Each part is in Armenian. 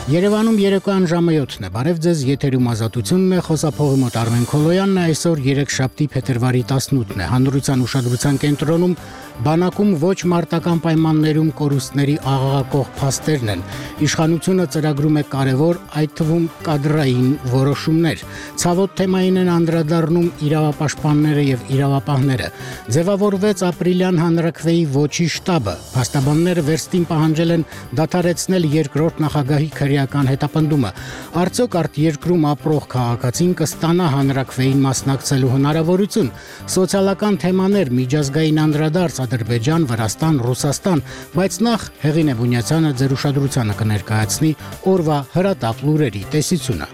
Երևանում երեկոյան ժամը 7-ն է, բարև ձեզ, եթերում ազատությունն է, խոսափողի մոտ Արմեն Քոլոյանն է, այսօր երեքշաբթի փետրվարի 18-ն է, հանրության ուշադրության կենտրոնում բանակում ոչ մարտական պայմաններում կորուստների աղաղակող փաստերն են, իշխանությունը ծրագրում է կարևոր, այդ թվում կադրային որոշումներ, ցավոտ թեմային են անդրադառնում իրավապաշտպանները եւ իրավապահները, ձևավորվեց ապրիլյան հանրաքվեի ոչի շտաբը, փաստաբանները վերստին պահանջել են դադարեցնել երկրորդ նախագահի քրեական հետապնդումը, արդյոք արտերկրում ապրող քաղաքացին կստանա հանրաքվեին մասնակցելու հնարավորություն, սոցիալական թեմաներ, միջազգային անդրադարձ Ադրբեջան, Վրաստան, Ռուսաստան, բայց նախ Հեղինե Բունյացյանը ձեր ուշադրությանը կներկայացնի օրվա հրատապ լուրերի տեսությունը։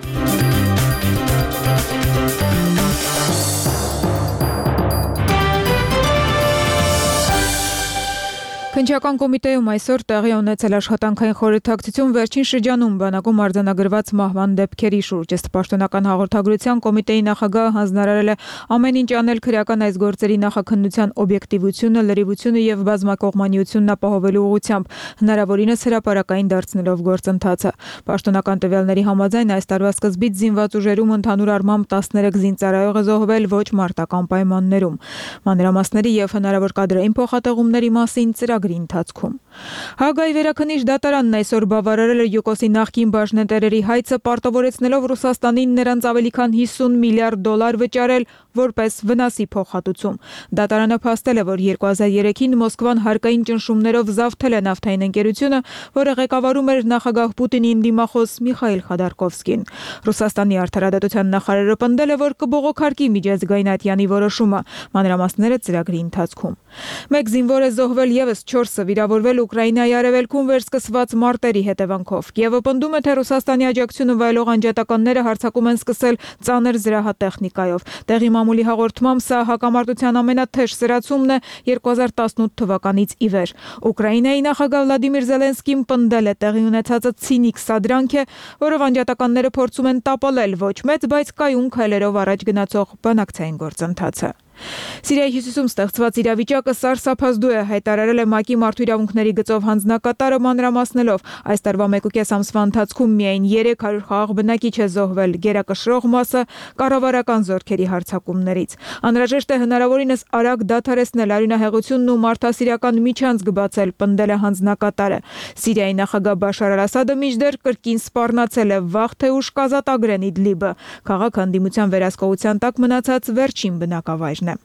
Քննչական կոմիտեում այսօր տեղի ունեցել աշխատանքային խորհրդակցություն վերջին շրջանում բանակում արձանագրված մահվան դեպքերի շուրջ. Ըստ պաշտոնական հաղորդագրության կոմիտեի նախագահը հանձնարարել է ամեն ինչ անել քրեական այս գործերի նախաքննության օբյեկտիվությունը, լրիվությունը եւ բազմակողմանիությունն ապահովելու ուղղությամբ, հնարավորինս հրապարակային դարձնելով գործընթացը։ Պաշտոնական տվյալների համաձայն այս տարվա սկզբից զինված ուժերում ընդհանուր առմամբ 13 զինծառայող է զոհվել ոչ մարտական պայմաններում։ Մանրամասների եւ հնարավոր կադրային փոխհատեղումների մասին ընթացքում։ Հագայի վերաքննիչ դատարանն այսօր բավարարել է ՅՈԿՕՍ-ի նախկին բաժնետերերի հայցը պարտավորեցնելով Ռուսաստանին նրանց ավելի քան $50 միլիարդ վճարել որպես վնասի փոխհատուցում։ Դատարանը փաստել է, որ 2003-ին Մոսկվան հարկային ճնշումներով զավթել է նավթային ընկերությունը, որը ղեկավարում էր նախագահ Պուտինի դիմախոս Միխայիլ Խոդորկովսկին։ Ռուսաստանի արդարադատության նախարարը պնդել է, որ կբողոքարկի միջազգային ատյանի որոշումը, մանրամասները ծրագրի ընթացքում։ Մեկ զինվոր է զոհվել եւս 4-ը վիրավորվել Ուկրաինայի արևելքում վերսկսված մարտերի հետևանքով։ Կիևը պնդում է, թե Ռուսաստանի աջակցությունը վայելող անջատականները հարձակում են սկսել ծանր զրահատեխնիկայով։ Տեղի մամուլի հաղորդմամբ սա հակամարտության ամենաթեժ սրացումն է 2018 թվականից ի վեր։ Ուկրաինայի նախագահ Վլադիմիր Զելենսկին պնդել է տեղի ունեցածը ցինիկ սադրանք է, որով անջատականները փորձում են տապալել ոչ մեծ, բայց կայուն քայլերով առաջ գնացող բանակցային գործընթացը։ Սիրիայի հյուսիսում ստեղծված իրավիճակը սարսափազդու է, հայտարարել է ՄԱԿ-ի մարդու իրավունքների գծով հանձնակատարը մանրամասնելով այս տարվա 1.5 ամսվա ընթացքում միայն 300 խաղաղ բնակիչ է զոհվել, գերակշռող մասը կառավարական զորքերի հարձակումներից։ Անհրաժեշտ է հնարավորինս արագ դադարեցնել արյունահեղությունն ու մարդասիրական միջանցք բացել, պնդել է հանձնակատարը։ Սիրիայի նախագահ Բաշար Ասադը մինչդեռ կրկին սպառնացել է վաղ թե ուշ կազատագրեն Իդլիբը, քաղաքը հանդիմության վերահսկողության տակ մնացած վերջին բնակավայրն է։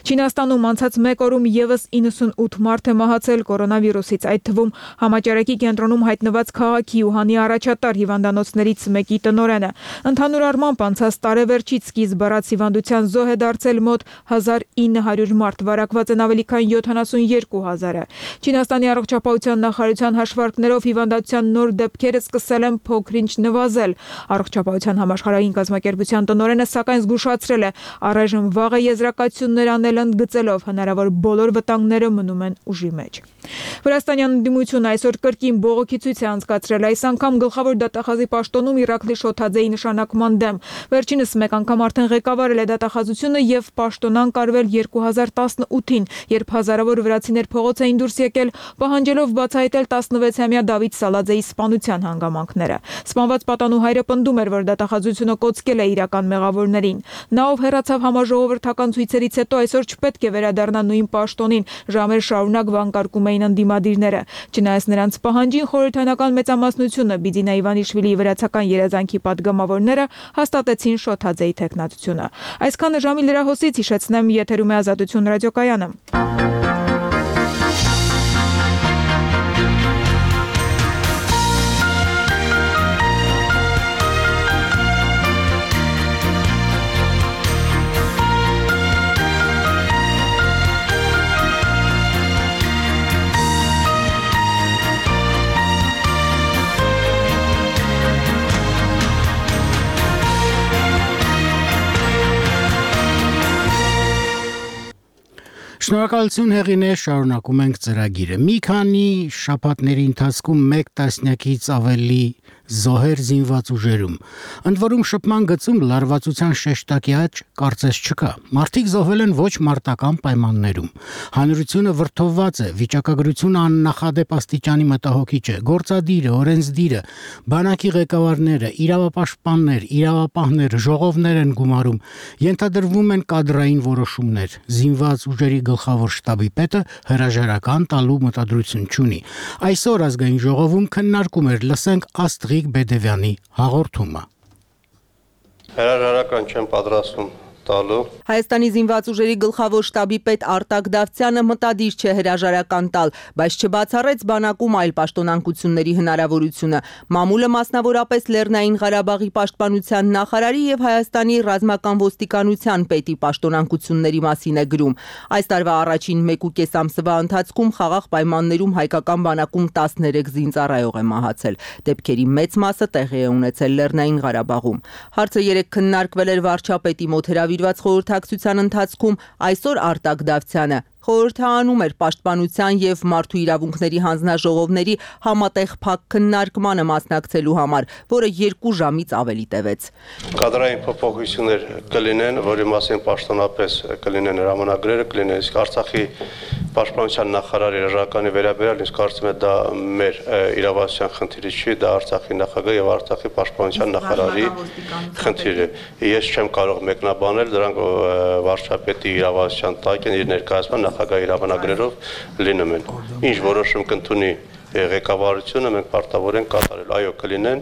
Չինաստանում անցած մեկ օրում եւս 98 մարդ է մահացել կորոնավիրուսից, այդ թվում համաճարակի կենտրոնում հայտնված քաղաքի Ուհանի առաջատար հիվանդանոցներից մեկի տնօրենը։ Ընդհանուր առմամբ անցած տարեվերջից սկիզբ առած հիվանդության զոհ է դարձել մոտ 1900 մարդ, վարակված են ավելի քան 72,000-ը։ Չինաստանի առողջապահության նախարարության հաշվարկներով հիվանդության նոր դեպքերը սկսել են փոքր-ինչ նվազել։ Առողջապահության համաշխարհային կազմակերպության տնօրենը սակայն զգուշացրել է, առայժմ վաղ է եզրակացություններ անել ընդգծելով հնարավոր բոլոր վտանգները մնում են ուժի մեջ։ Վրաստանյան ընդդիմությունը այսօր կրկին բողոքի ցույց է անցկացրել, այս անգամ գլխավոր դատախազի պաշտոնում Իրաքլի Շոթաձեի նշանակման դեմ։ Վերջինս մեկ անգամ արդեն ղեկավարել է դատախազությունը եւ պաշտոնան կարվել 2018-ին, երբ հազարավոր վրացիներ փողոց էին դուրս եկել, պահանջելով բացահայտել 16-ամյա Դավիթ Սալաձեի սպանության հանգամանքները։ Սպանված պատանու հայրը պնդում էր, որ դատախազությունը կոծկել է իրական մեղավորներին։ Նա, ով հեռացավ համաժողովրդական ցույցերից հետո, այսօր չպետք է վերադառնա նույն պաշտոնին, ժամեր շարունակ վանկարկում էին ընդդիմադիրները։ Չնայած նրանց պահանջին, խորհրդանական մեծամասնությունը Բիձինա Իվանիշվիլիի վրացական երազանքի պատգամավորները հաստատեցին Շոթաձեի թեկնածությունը։ Այսքանը ժամի լրահոսից, հիշեցնեմ, եթերում է Ազատություն ռադիոկայանը։ Շնորհակալություն Հեղինե, շարունակում ենք ծրագիրը։ Մի քանի շաբաթների ընթացքում 1 տասնյակից ավելի զոհեր զինված ուժերում։ Ընդ որում շփման գծում լարվածության շեշտակի աճ կարծես չկա։ Մարդիկ զոհվել են ոչ մարտական պայմաններում։ Հանրությունը վրդովված է, վիճակագրությունը աննախադեպ աստիճանի մտահոգիչ է։ Գործադիրը, օրենսդիրը, բանակի ղեկավարները, իրավապաշտպաններ, իրավապահներ, ժողովներ են գումարում, ենթադրվում են կադրային որոշումներ։ Զինված ուժերի գլխավոր շտաբի պետը հրաժարական տալու մտադրություն չունի։ Այսօր ազգային ժողովում քննարկում էր, լսենք Աստղիկ Բեդևյանի հաղորդումը։ Հրաժարական չեմ պատրաստվում տալու։ Հայաստանի զինված ուժերի գլխավոր շտաբի պետ Արտակ Դավթյանը մտադիր չէ հրաժարական տալ, բայց չբացառեց բանակում այլ պաշտոնանկությունների հնարավորությունը։ Մամուլը մասնավորապես Լեռնային Ղարաբաղի պաշտպանության նախարարի եւ Հայաստանի ռազմական ոստիկանության պետի պաշտոնանկությունների մասին է գրում։ Այս տարվա առաջին 1.5 ամսվա ընթացքում խաղաղ պայմաններում հայկական բանակում 13 զինծառայող է մահացել։ Դեպքերի մեծ մասը տեղի է ունեցել Լեռնային Ղարաբաղում։ Հարցը երեկ քննարկվել էր վարչապետի մոտ հրավիրված խորհրդակցության ընթացքում, այսօր Արտակ Դավթյանը խորհրդանում էր պաշտպանության եւ մարդու իրավունքների հանձնաժողովների համատեղ փակ քննարկմանը մասնակցելու համար, որը 2 ժամից ավելի տևեց։ Կադրային փոփոխություններ կլինեն, որի մասին պաշտոնապես կլինեն հրամանագրերը, կլինեն, իսկ Արցախի պաշտպանության նախարարի հրաժարականի վերաբերյալ ինձ կարծում եմ դա մեր իրավասության խնդիրը չի, դա Արցախի նախագահ եւ Արցախի պաշտպանության նախարարի խնդիրը է։ Ես չեմ կարող մեկնաբանել, դրանք վարչապետի իրավասության տակ են, իր ներկայացման նախագահի հրամանագրերով լինում են։ Ինչ որոշում կընդունի ղեկավարությունը մենք պարտավոր ենք կատարել, այո կլինեն,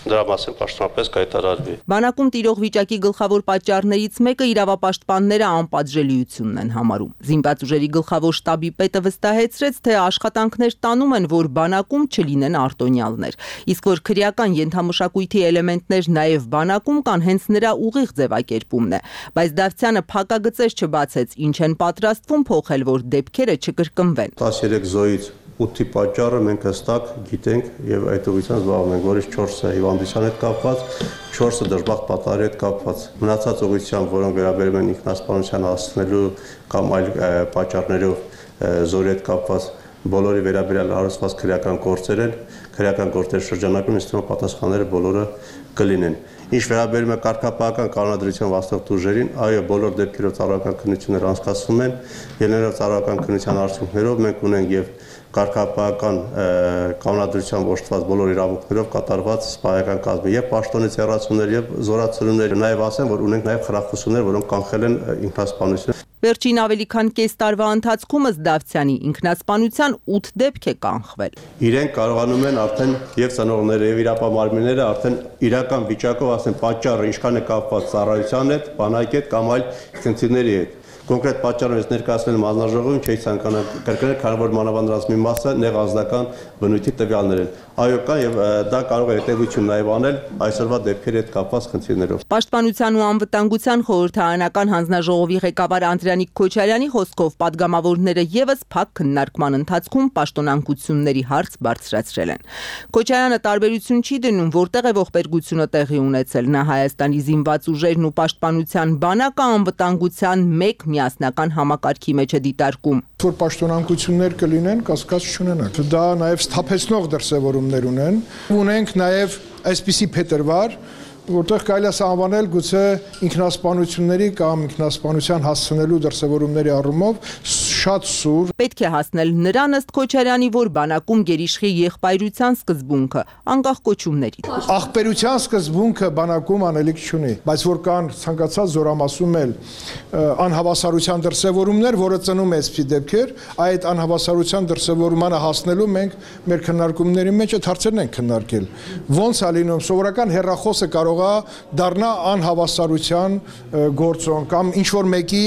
դրա մասին պաշտոնապես կհայտարարվի։ Բանակում տիրող վիճակի գլխավոր պատճառներից մեկը իրավապաշտպանները անպատժելիությունն են համարում։ Զինված ուժերի գլխավոր շտաբի պետը վստահեցրեց, թե աշխատանքներ տանում են, որ բանակում չլինեն արտոնյալներ։ Իսկ որ քրեական ենթամշակույթի էլեմենտներ նաև բանակում կան, հենց նրա ուղիղ ձևակերպումն է։ Բայց Դավթյանը փակագծեր չբացեց, ինչ են պատրաստվում փոխել, որ դեպքերը չկրկնվեն։ 13 զոհից 8-ի պատճառը մենք հստակ գիտենք եւ այդ ուղղությամբ զբաղվում ենք, որից 4-ը հիվանդության հետ կապված, 4-ը դժբախտ պատահարի հետ կապված։ Մնացած ուղղությամբ, որոնք վերաբերում են ինքնասպանության հասցնելու կամ այլ պատճառներով զորի հետ կապված, բոլորի վերաբերյալ հարուցված քրեական գործեր են, քրեական գործերի շրջանակում ինձ թվում է պատասխանները բոլորը կլինեն։ Ինչ վերաբերում է կարգապահական կանոնադրության վաստակտ ուժերին, այո, բոլոր դեպքերով ծառայական քննություններ անցկացվում են, ելնելով ծառայական քննության արդյունքներով մենք ունենք եւ կարգապահական կանոնադրությամբ օժտված բոլոր իրավունքներով կատարված սպայական կազմի եւ պաշտոնից հեռացումներ եւ զորացումներ, նաեւ ասեմ, որ ունենք նաեւ խրախուսումներ, որոնք կանխել են ինքնասպանությունը։ Վերջին ավելի քան կես տարվա ընթացքում ըստ Դավթյանի ինքնասպանության 8 դեպք է կանխվել։ Իրենք կարողանում են արդեն եւ ծնողները եւ իրապահարմինները արդեն իրական վիճակով ասեն պատճառը ինչքան է կապված ծառայության հետ, բանակի հետ կամ այլ քննիների հետ։ Կոնկրետ պատճառը ես ներկայացնել եմ հանձնաժողովին, չի ցանկանա կրկնել, քանի որ մանավանդրած մի մասը նեղազդական բնույթի տվյալներ են։ Այո, կա եւ դա կարող է հետեւություն նաեւ անել այսօրվա դեպքերի հետ կապված խնդիրներով։ Պաշտպանության ու անվտանգության խորհրդարանական հանձնաժողովի ղեկավար Անդրանիկ Քոչարյանի խոսքով պատգամավորները եւս փակ քննարկման ընթացքում պաշտոնանկությունների հարց բարձրացրել են։ Քոչարյանը տարբերություն չի դնում, որտեղ է ողբերգությունը տեղի ունեցել։ Նա Հայաստանի զինված ուժերն ու պաշտպանության բանակը անվտանգության մեկ միասնական համակարգի մեջ է դիտարկում։ Որ պաշտոնանկություններ կլինեն, կասկած չունենան։ Դա նաև սթափեցնող դրսևորումներ ունեն։ Ունենք նաև այսպիսի փետրվար, որտեղ կարելի է անվանել գուցե ինքնասպանությունների կամ ինքնասպանության հասցնելու դրսևորումների առումով շատ սուր։ Պետք է հասնել նրան ըստ Քոչարյանի, որ բանակում գերիշխի եղբայրության սկզբունքը, անկախ կոչումների։ Ախպերության սկզբունքը բանակում անելիք չունի, բայց որ կան ցանկացած զորամասում էլ անհավասարության դրսևորումներ, որը ծնում է այսպիսի դեպքեր, այդ անհավասարության դրսևորմանը հասնելու մենք մեր քննարկումների մեջ այդ հարցերն ենք քննարկել։ Ոնց է լինում սովորական հեռախոսը կարող է դառնա անհավասարության գործոն կամ ինչ որ մեկի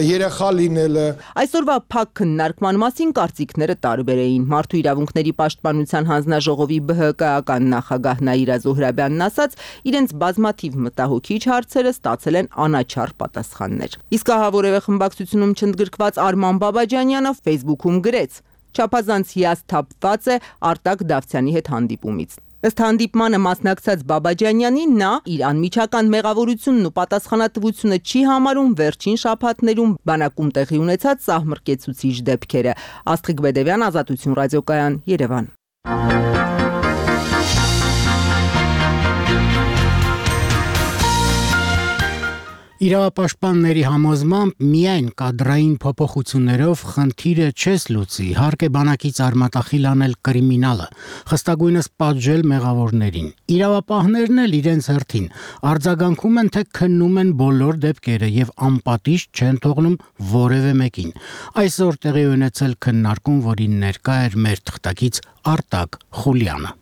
երեխա լինելը։ Այսօրվա փակ քննարկման մասին կարծիքները տարբեր էին։ Մարդու իրավունքների պաշտպանության հանձնաժողովի ԲՀԿ-ական նախագահ Նաիրա Զոհրաբյանն ասաց, իրենց բազմաթիվ մտահոգիչ հարցերը ստացել են անաչառ պատասխաններ։ Իսկ ահա որևէ խմբակցությունում չընդգրկված Արման Բաբաջանյանը Facebook-ում գրեց. «Չափազանց հիասթափված է Արտակ Դավթյանի հետ հանդիպումից»։ Ըստ հանդիպմանը մասնակցած Բաբաջանյանին նա իր անմիջական մեղավորությունն ու պատասխանատվությունը չի համարում վերջին շաբաթներում բանակում տեղի ունեցած սահմռկեցուցիչ դեպքերը։ Աստղիկ Բեդևյան, Ազատություն ռադիոկայան, Երևան։ Իրավապաշտպանների համոզմամբ միայն կադրային փոփոխություններով խնդիրը չես լուծի, հարկ է բանակից արմատախիլ անել կրիմինալը, խստագույնս պատժել մեղավորներին։ Իրավապահներն էլ իրենց հերթին արձագանքում են, թե քննում են բոլոր դեպքերը եւ անպատիժ չեն թողնում որևէ մեկին։ Այսօր տեղի ունեցել քննարկում, որին ներկա էր մեր թղթակից Արտակ Խուլյանը։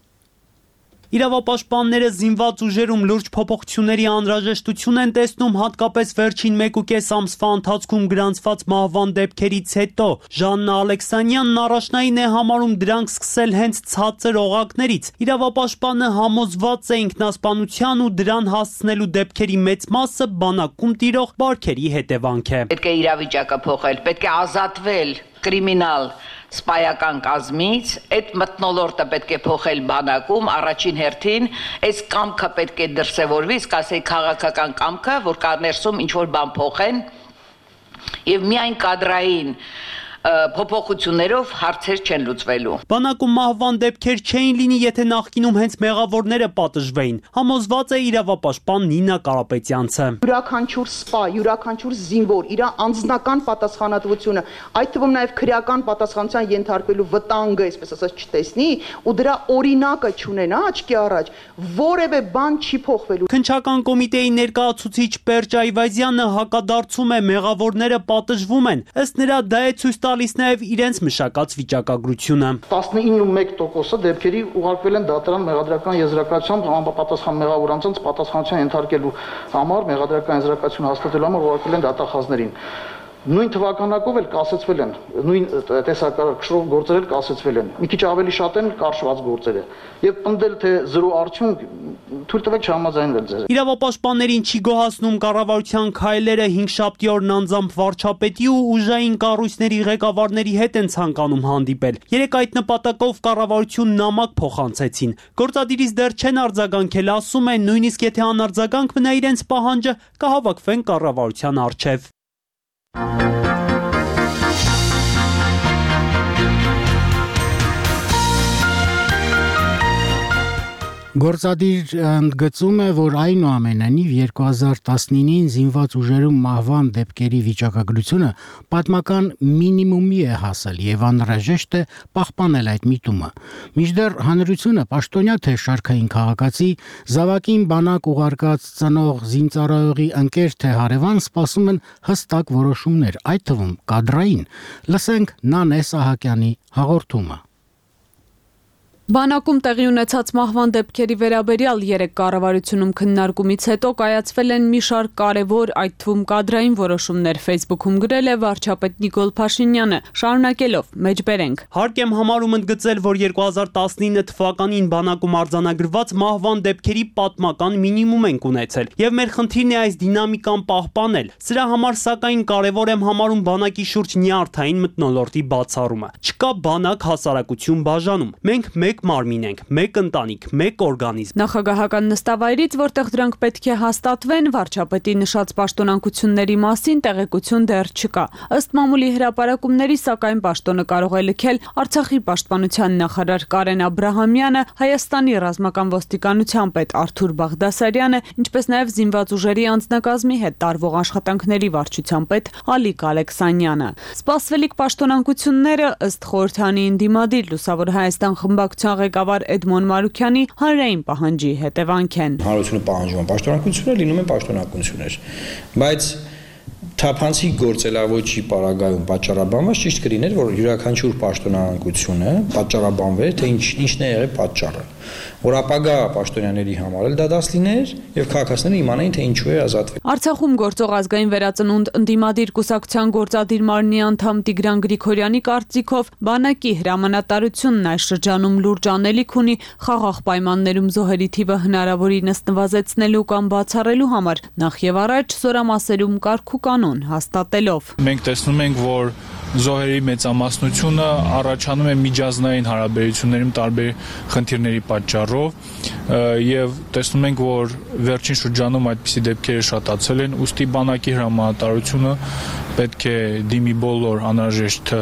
Իրավապաշտպանները զինված ուժերում լուրջ փոփոխությունների անհրաժեշտություն են տեսնում, հատկապես վերջին 1.5 ամսվա ընթացքում գրանցված մահվան դեպքերից հետո։ Ժաննա Ալեքսանյանն առաջնային է համարում դրանք սկսել հենց ցածր օղակներից։ Իրավապաշտպանը համոզված է ինքնասպանության ու դրան հասցնելու դեպքերի մեծ մասը բանակում տիրող բարքերի հետևանք է։ Պետք է իրավիճակը փոխել, պետք է ազատվել կրիմինալ սպայական կազմից, այդ մթնոլորտը պետք է փոխել բանակում, առաջին հերթին, այս կամքը պետք է դրսևորվի, իսկ ասեի քաղաքական կամքը, որ կա ներսում ինչ-որ բան փոխեն, եւ միայն կադրային փոփոխություններով հարցեր չեն լուծվելու։ Բանակում մահվան դեպքեր չէին լինի, եթե նախկինում հենց մեղավորները պատժվեին, համոզված է իրավապաշտպան Նինա Կարապետյանցը։ Յուրաքանչյուր սպա, յուրաքանչյուր զինվոր իր անձնական պատասխանատվությունը, այդ թվում նաև քրեական պատասխանության ենթարկվելու վտանգը, այսպես ասած, չտեսնի ու դրա օրինակը չունենա աչքի առաջ, որևէ բան չի փոխվելու։ Քննչական կոմիտեի ներկայացուցիչ Պերճ Այվազյանը հակադարձում է մեղավորները պատժվում են, ըստ նրա դա է ցույց տալիս նաև իրենց մշակած վիճակագրությունը։ 19.1% դեպքերի ուղարկվել են դատարան մեղադրական եզրակացությամբ համապատասխան մեղավոր անձանց պատասխանատվության ենթարկելու համար մեղադրական եզրակացություն հաստատելու համար ուղարկվել են դատախազներին։ Նույն թվականակով էլ կասեցվել են, նույն տեսակարգով գործեր էլ կասեցվել են։ Մի քիչ ավելի շատ են կարճված գործերը։ Եվ պնդել թե 0 արդյունք թույլ տվեք չհամաձայնվել ձեզ։ Իրավապաշտպաններին չի գոհացնում կառավարության քայլերը 5-7 օրն անձամբ վարչապետի ու ուժային կառույցների ղեկավարների հետ են ցանկանում հանդիպել։ Երեք այդ նպատակով կառավարությունն նամակ փոխանցեցին։ Գործադիրից դեռ չեն արձագանքել, ասում են, նույնիսկ եթե անարձագանք մնա իրենց պահանջը, կհավաքվեն կառավարության առջև։ Գործադիր ընդգծում է, որ այնուամենայնիվ 2019-ին զինված ուժերում մահվան դեպքերի վիճակագրությունը պատմական մինիմումի է հասել եւ անհրաժեշտ է պահպանել այդ միտումը։ Մինչդեռ հանրությունը պաշտոնյա թե շարքային քաղաքացի, զավակին բանակ ուղարկած ծնող զինծառայողի ընկեր թե հարևան սպասում են հստակ որոշումներ, այդ թվում կադրային։ Լսենք Նանե Սահակյանի հաղորդումը։ Բանակում տեղի ունեցած մահվան դեպքերի վերաբերյալ 3 կառավարությունում քննարկումից հետո կայացվել են մի շարք կարևոր, այդ թվում կադրային որոշումներ, Facebook-ում գրել է վարչապետ Նիկոլ Փաշինյանը, շարունակելով մեջբերենք։ Հարկ եմ համարում ընդգծել, որ 2019 թվականին բանակում արձանագրված մահվան դեպքերի պատմական մինիմում ենք ունեցել, եւ մեր խնդիրն է այս դինամիկան պահպանել։ Սրա համար սակայն կարևոր եմ համարում բանակի շուրջ նյարդային մթնոլորտի բացառումը։ Չկա բանակ հասարակություն բաժանում։ Մենք մեկ մարմին ենք, մեկ ընտանիք, մեկ օրգանիզմ։ Նախագահական նստավայրից, որտեղ դրանք պետք է հաստատվեն, վարչապետի նշած պաշտոնակությունների մասին տեղեկություն դեռ չկա։ Ըստ մամուլի հրապարակումների, սակայն պաշտոնը կարող է լքել Արցախի պաշտպանության նախարար Կարեն Աբրահամյանը, Հայաստանի ռազմական ոստիկանության պետ Արթուր Բաղդասարյանը, ինչպես նաև զինված ուժերի անձնակազմի հետ տարվող աշխատանքների վարչության պետ Ալիկ Ալեքսանյանը։ Սպասվելիք պաշտոնակությունները ըստ խորհրդանի ընդդիմադիր Լուսավոր Հայաստան խմբակցության ղեկավար Էդմոն Մարուքյանի հանրային պահանջի հետևանք են։ Հանրությունը պահանջում է պաշտոնակություններ, լինում են պաշտոնակություններ, բայց թափանցիկ գործելավոճի պարագայում պատճառաբանված ճիշտ կլիներ, որ յուրաքանչյուր պաշտոնակությունը պատճառաբանվեր, թե ինչն է եղել պատճառը, որ ապագա պաշտոնյաների համար էլ դա դաս լիներ եւ քաղաքացիները իմանային, թե ինչու է ազատվել։ Արցախում գործող ազգային վերածնունդ ընդդիմադիր կուսակցության գործադիր մարմնի անդամ Տիգրան Գրիգորյանի կարծիքով բանակի հրամանատարությունն այս շրջանում լուրջ անելիք ունի խաղաղ պայմաններում զոհերի թիվը հնարավորինս նվազեցնելու կամ բացառելու համար, նախ եւ առաջ զորամասերում կարգ ու կանոն հաստատելով։ Մենք տեսնում ենք, որ զոհերի մեծամասնությունը առաջանում է միջազգային հարաբերություններում տարբեր խնդիրների պատճառով եւ տեսնում ենք, որ վերջին շրջանում այդպիսի դեպքերը շատացել են, ուստի բանակի հրամանատարությունը պետք է դիմի բոլոր անհրաժեշտ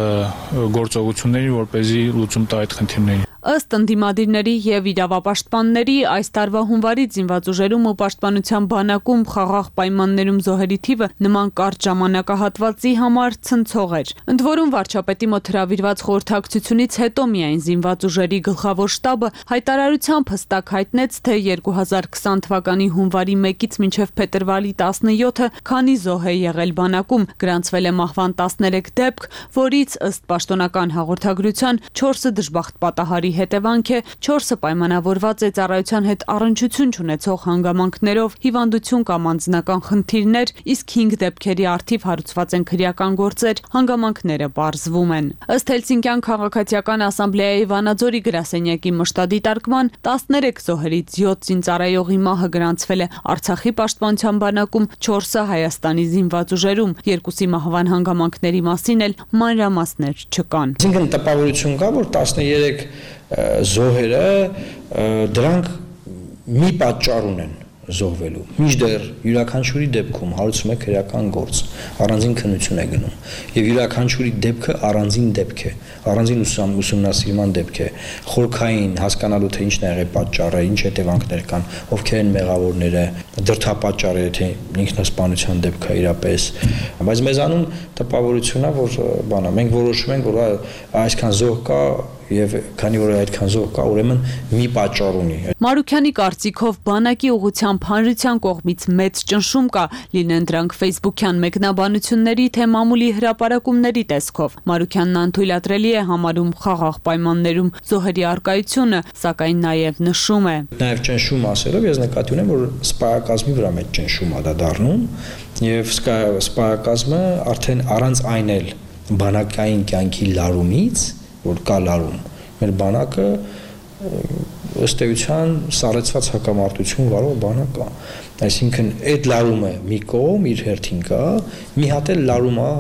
գործողություններին, որպեսզի լուծում տա այդ խնդիրներին։ Ըստ ընդդիմադիրների եւ իրավապաշտպանների այս տարվա հունվարից զինված ուժերում ու պաշտպանության բանակում խաղաղ պայմաններում զոհերի թիվը նման կարճ ժամանակահատվածի համար ցնցող էր։ Ընդ որում վարչապետի մոտ հրավիրված խորհրդակցությունից հետո միայն զինված ուժերի գլխավոր շտաբը հայտարարությամբ հստակ հայտնեց, թե 2020 թվականի հունվարի 1-ից մինչև փետրվարի 17-ը քանի զոհ է եղել բանակում, գրանցվել է մահվան 13 դեպք, որից ըստ պաշտոնական հաղորդագրության 4-ը դժբախտ պատահարի հետևանք է, 4-ը պայմանավորված է ծառայության հետ առնչություն չունեցող հանգամանքներով, հիվանդություն կամ անձնական խնդիրներ, իսկ 5 դեպքերի առթիվ հարուցված են քրեական գործեր, հանգամանքները պարզվում են։ Ըստ Հելսինկյան քաղաքացիական ասամբլեայի Վանաձորի գրասենյակի մշտադիտարկման 13 զոհերից 7 զինծառայողի մահը գրանցվել է Արցախի պաշտպանության բանակում, 4-ը Հայաստանի զինված ուժերում, 2-ի մահվան հանգամանքների մասին էլ մանրամասներ չկան։ Այսինքն տպավորություն կա, որ 13 զոհերը դրանք մի պատճառ ունեն զոհվելու։ Մինչդեռ յուրաքանչյուրի դեպքում հարուցում է քրեական գործ, առանձին քննություն է գնում, եւ յուրաքանչյուրի դեպքը առանձին դեպք է, առանձին ուսումնասիրման դեպք է, խորքային հասկանալու թե ինչն է եղել պատճառը, ինչ հետևանքներ կան, ովքեր են մեղավորները, դրդապատճառը, թե ինքնասպանության դեպք է իրապես, բայց մեզանում տպավորություն է, որ բանա, մենք որոշում ենք, որ այսքան զոհ կա եւ քանի որ այդքան զոհ կա, ուրեմն մի պատճառ ունի։ Մարուքյանի կարծիքով բանակի ուղղությամբ հանրության կողմից մեծ ճնշում կա, լինեն դրանք ֆեյսբուքյան մեկնաբանությունների թե մամուլի հրապարակումների տեսքով։ Մարուքյանն անթույլատրելի է համարում խաղաղ պայմաններում զոհերի առկայությունը, սակայն նաեւ նշում է. Նաեւ ճնշում ասելով ես նկատի ունեմ, որ սպայակազմի վրա մեծ ճնշում է դա դառնում եւ սպայակազմը արդեն առանց այն էլ բանակային կյանքի լարումից որ կա լարում, մեր բանակը ըստ էության սառեցված հակամարտություն վարող բանակ է, այսինքն այդ լարումը մի կողմ իր հերթին կա, մի հատ էլ լարում է,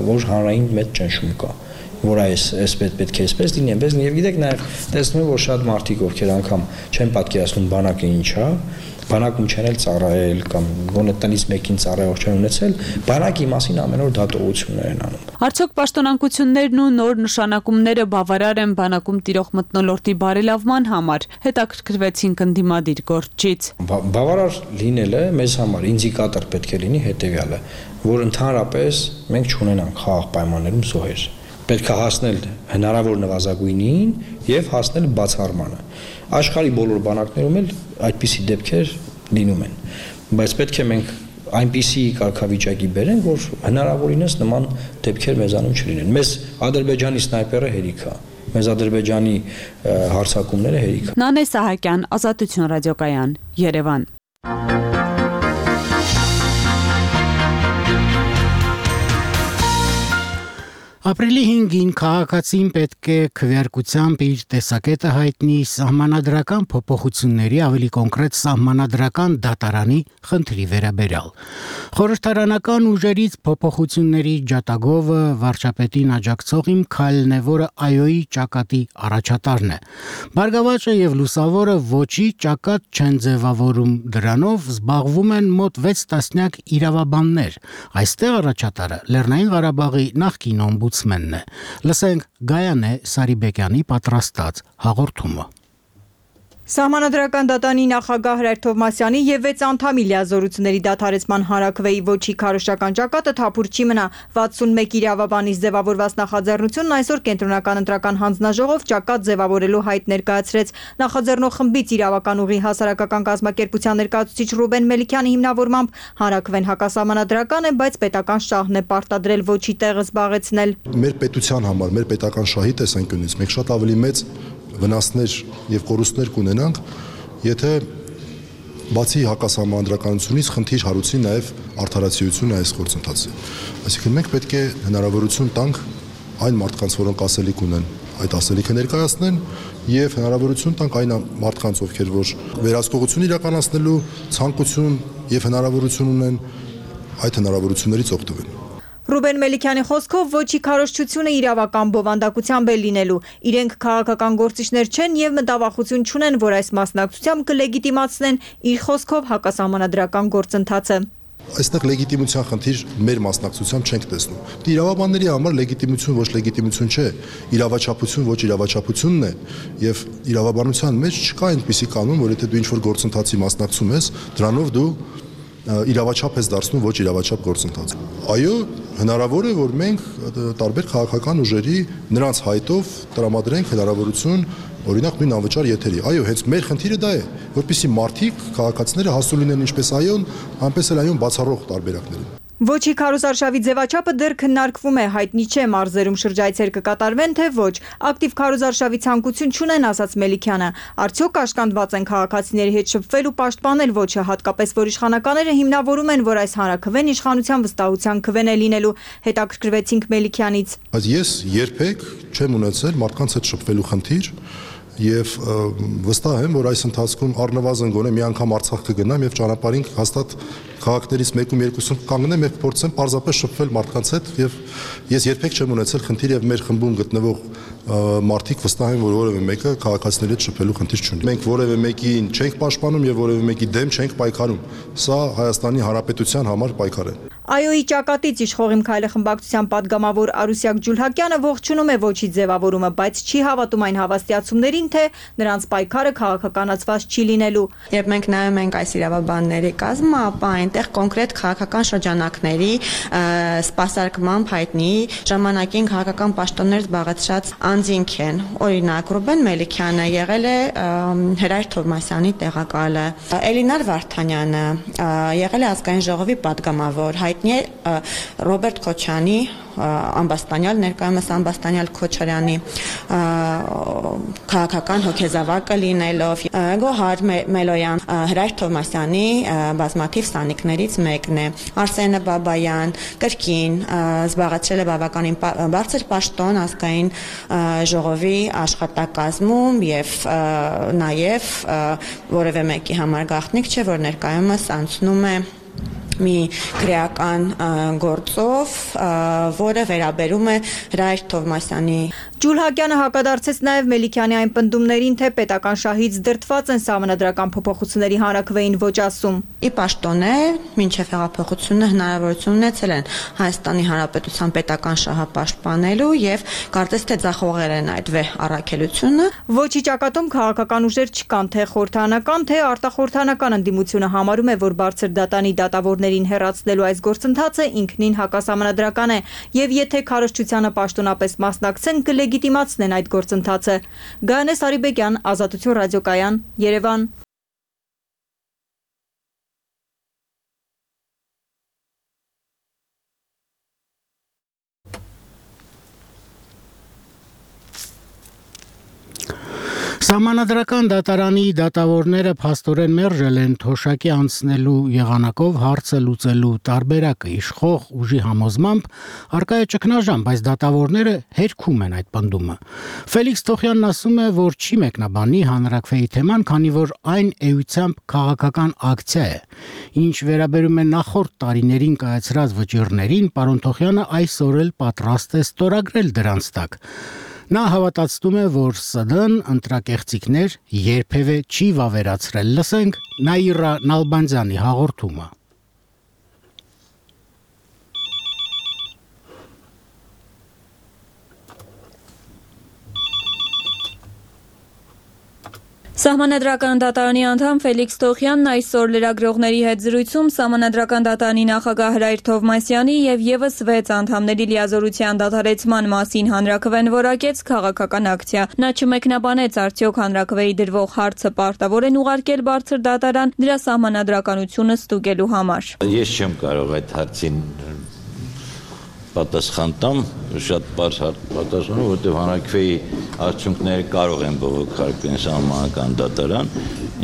որ հանրային մեծ ճնշում կա, որ այս պետք է այսպես լինի, այնպես լինի, եւ գիտեք նաեւ տեսնում եմ, որ շատ մարդիկ ովքեր անգամ չեն պատկերացնում բանակը ինչ է, բանակում չեն էլ ծառայել կամ գոնե տնից մեկին ծառայող չեն ունեցել, բանակի մասին ամեն օր դատողություններ են անում։ Արդյոք պաշտոնակություններն ու նոր նշանակումները բավարար են բանակում տիրող մթնոլորտի բարելավման համար, հետաքրքրվեցինք ընդդիմադիր գործչից։ Բավարար լինելը մեզ համար ինդիկատոր պետք է լինի հետեւյալը, որ ընդհանրապես մենք չունենանք խաղաղ պայմաններում զոհեր։ Պետք է հասնել հնարավոր նվազագույնին եւ հասնել բացառմանը։ Աշխարհի բոլոր բանակներում էլ այդպիսի դեպքեր լինում են, բայց պետք է մենք այնպիսի կարգավիճակի բերենք, որ հնարավորինս նման դեպքեր մեզանում չլինեն։ Մեզ Ադրբեջանի սնայպերը հերիք է, մեզ Ադրբեջանի հարձակումները հերիք է։ Նանե Սահակյան, Ազատություն ռադիոկայան, Երևան։ Ապրիլի 5-ին քաղաքացին պետք է քվեարկությամբ իր տեսակետը հայտնի սահմանադրական փոփոխությունների, ավելի կոնկրետ սահմանադրական դատարանի խնդրի վերաբերյալ։ Խորհրդարանական ուժերից փոփոխությունների ջատագովը վարչապետին աջակցող իմ քայլն է, որը ԱՅՈ-ի ճակատի առաջատարն է։ Բարգավաճը եւ լուսավորը ոչի ճակատ չեն ձևավորում, դրանով զբաղվում են մոտ 6 տասնյակ իրավաբաններ։ Այստեղ առաջատարը Լեռնային Ղարաբաղի նախկին օմբուդսմենն է։ Լսենք Գայանե Սարիբեկյանի պատրաստած հաղորդումը։ Սահմանադրական դատարանի նախագահ Հրայր Թովմասյանի եւ 6 անդամի լիազորությունների դադարեցման հանրաքվեի ոչի քարոշչական ճակատը թափուր չի մնա։ 61 իրավաբանի ձևավորված նախաձեռնությունն այսօր կենտրոնական ընտրական հանձնաժողով ճակատ ձևավորելու հայտ ներկայացրեց։ Նախաձեռնող խմբից իրավական ուղի հասարակական կազմակերպության ներկայացուցիչ Ռուբեն Մելիքյանի հիմնավորմամբ հանրաքվեն հակասահմանադրական է, բայց պետական շահն է պարտադրել ոչի տեղը զբաղեցնել։ Մեր պետության համար, մեր պետական շահի տեսանկյունից մենք շատ ավելի մեծ վնասներ եւ կորուստներ կունենանք, եթե բացի հակասահմանադրականությունից խնդիր հարուցի նաեւ արդարացիությունը այս գործընթացի։ Այսինքն մենք պետք է հնարավորություն տանք այն մարդկանց, որոնք ասելիք ունեն, այդ ասելիքը ներկայացնեն եւ հնարավորություն տանք այն մարդկանց, ովքեր որ վերահսկողություն իրականացնելու ցանկություն եւ հնարավորություն ունեն, այդ հնարավորություններից օգտվեն։ Ռուբեն Մելիքյանի խոսքով ոչի քարոզչությունը իրավական բովանդակությամբ է լինելու։ Իրենք քաղաքական գործիչներ չեն եւ մտավախություն չունեն, որ այս մասնակցությամբ կլեգիտիմացնեն իր խոսքով հակասահմանադրական գործընթացը։ Այստեղ լեգիտիմության խնդիր մեր մասնակցությամբ չենք տեսնում։ Դա իրավաբանների համար լեգիտիմություն ոչ լեգիտիմություն չէ, իրավաչափություն ոչ իրավաչափությունն է, եւ իրավաբանության մեջ չկա այնպիսի կանոն, որ եթե դու ինչ-որ գործընթացի մասնակցում ես, դրանով դու իրավաչափ ես դարձնում ոչ իրավաչափ գործընթաց։ Այո, հնարավոր է, որ մենք տարբեր քաղաքական ուժերի նրանց հայտով տրամադրենք հնարավորություն օրինակ նույն անվճար եթերի։ Այո, հենց մեր խնդիրը դա է, որպեսզի մարդիկ, քաղաքացիները հասու լինեն ինչպես այոն, այնպես էլ այոն բացառող տարբերակներին։ Ոչի քարոզարշավի ձևաչափը դեռ քննարկվում է, հայտնի չէ մարզերում շրջայցեր կկատարվեն, թե ոչ։ Ակտիվ քարոզարշավի ցանկություն չունեն, ասաց Մելիքյանը։ Արդյոք կաշկանդված են քաղաքացիների հետ շփվել ու պաշտպանել ոչը, հատկապես որ իշխանականները հիմնավորում են, որ այս հանրաքվեն իշխանության վստահության քվեն է լինելու, հետաքրքրվեցինք Մելիքյանից։ Բայց ես երբեք չեմ ունեցել մարդկանց հետ շփվելու խնդիր եւ վստահ եմ, որ այս ընթացքում առնվազն գոնե մի անգամ Արցախ կգնամ եւ ճանապարհին հաստատ քաղաքներից մեկում երկուսում կանգնեմ եւ փորձեմ պարզապես շփվել մարդկանց հետ եւ ես երբեք չեմ ունեցել խնդիր եւ մեր խմբում գտնվող մարդիկ վստահ են, որ որևէ մեկը քաղաքացիների հետ շփվելու խնդիր չունի։ Մենք որևէ մեկին չենք պաշտպանում եւ որևէ մեկի դեմ չենք պայքարում։ Սա Հայաստանի Հանրապետության համար պայքար է։ ԱՅՈ-ի ճակատից իշխող Իմ քայլը խմբակցության падգամավոր Արուսյակ Ջուլհակյանը ողջունում է ոչի ձևավորումը, բայց չի հավատում այն հավաստիացումներին, թե նրանց պայքարը քաղաքականացված չի լինելու։ Երբ մենք նայում ենք այս իրավաբանների կազմը, ապա այնտեղ կոնկրետ քաղաքական շրջանակների սպասարկմամբ հայտնի ժամանակին քաղաքական պաշտոններ զբաղեցրած անձինք են։ Օրինակ Ռուբեն Մելիքյանը եղել է Հրայր Թովմասյանի տեղակալը, Էլինար Վարդանյանը եղել է ազգային ժողովի падգամավոր, հայտնի է Ռոբերտ Քոչյանի ամբաստանյալ, ներկայումս ամբաստանյալ Քոչարյանի քաղաքական հոգեզավակը լինելով, Գոհար Մելոյան Հրայր Թովմասյանի բազմաթիվ սանիկներից մեկն է, Արսենը Բաբայան կրկին զբաղեցրել է բավականին բարձր պաշտոն ազգային ժողովի աշխատակազմում եւ նաեւ որևէ մեկի համար գաղտնիք չէ, որ ներկայումս անցնում է մի քրեական գործով, որը վերաբերում է Հրայր Թովմասյանի։ Ջուլհակյանը հակադարձեց նաև Մելիքյանի այն պնդումներին, թե պետական շահից դրդված են սահմանադրական փոփոխությունների հանրաքվեին ոչ ասում։ Ի պաշտոն է, մինչև հեղափոխությունը հնարավորություն ունեցել են Հայաստանի Հանրապետության պետական շահը պաշտպանելու եւ կարծես թե ձախողել են այդ վեհ առաքելությունը։ Ոչի ճակատում քաղաքական ուժեր չկան, թե խորհրդանական, թե արտախորհրդանական ընդդիմությունը համարում է, որ բարձր դատանի դատավորներին հեռացնելու այս գործընթացը ինքնին հակասահմանադրական է եւ եթե քարոզչությանը պաշտոնապես մասնակցեն կլեգիտիմացնեն այդ գործընթացը։ Գայանե Սարիբեկյան, Ազատություն ռադիոկայան, Երևան։ Սահմանադրական դատարանի դատավորները փաստորեն մերժել են թոշակի անցնելու եղանակով հարցը լուծելու տարբերակը իշխող ուժի համոզմամբ արկա է ճգնաժամ, բայց դատավորները հերքում են այդ պնդումը։ Ֆելիքս Թոխյանն ասում է, որ չի մեկնաբանի հանրաքվեի թեման, քանի որ այն էությամբ քաղաքական ակցիա է։ Ինչ վերաբերում է նախորդ տարիներին կայացրած վճիռներին, պարոն Թոխյանը այսօր էլ պատրաստ է ստորագրել դրանց տակ։ Նա հավատացնում է, որ ՍԴ-ն ընտրակեղծիքներ երբևէ չի վավերացրել։ Լսենք Նաիրա Նալբանդյանի հաղորդումը։ Սահմանադրական դատարանի անդամ Ֆելիքս Թոխյանն այսօր լրագրողների հետ զրույցում Սահմանադրական դատարանի նախագահ Հրայր Թովմասյանի եւ եւս 6 անդամների լիազորության դադարեցման մասին հանրաքվեն որակեց քաղաքական ակցիա։ Նա չմեկնաբանեց արդյոք հանրաքվեի դրվող հարցը պարտավոր են ուղարկել բարձր դատարան դրա սահմանադրականությունը ստուգելու համար։ Ես չեմ կարող այդ հարցին պատասխան տամ, շատ բարձ պատասխան, որտեղ հանրաքվեի արդյունքները կարող են բողոքարկվել սահմանադրական դատարան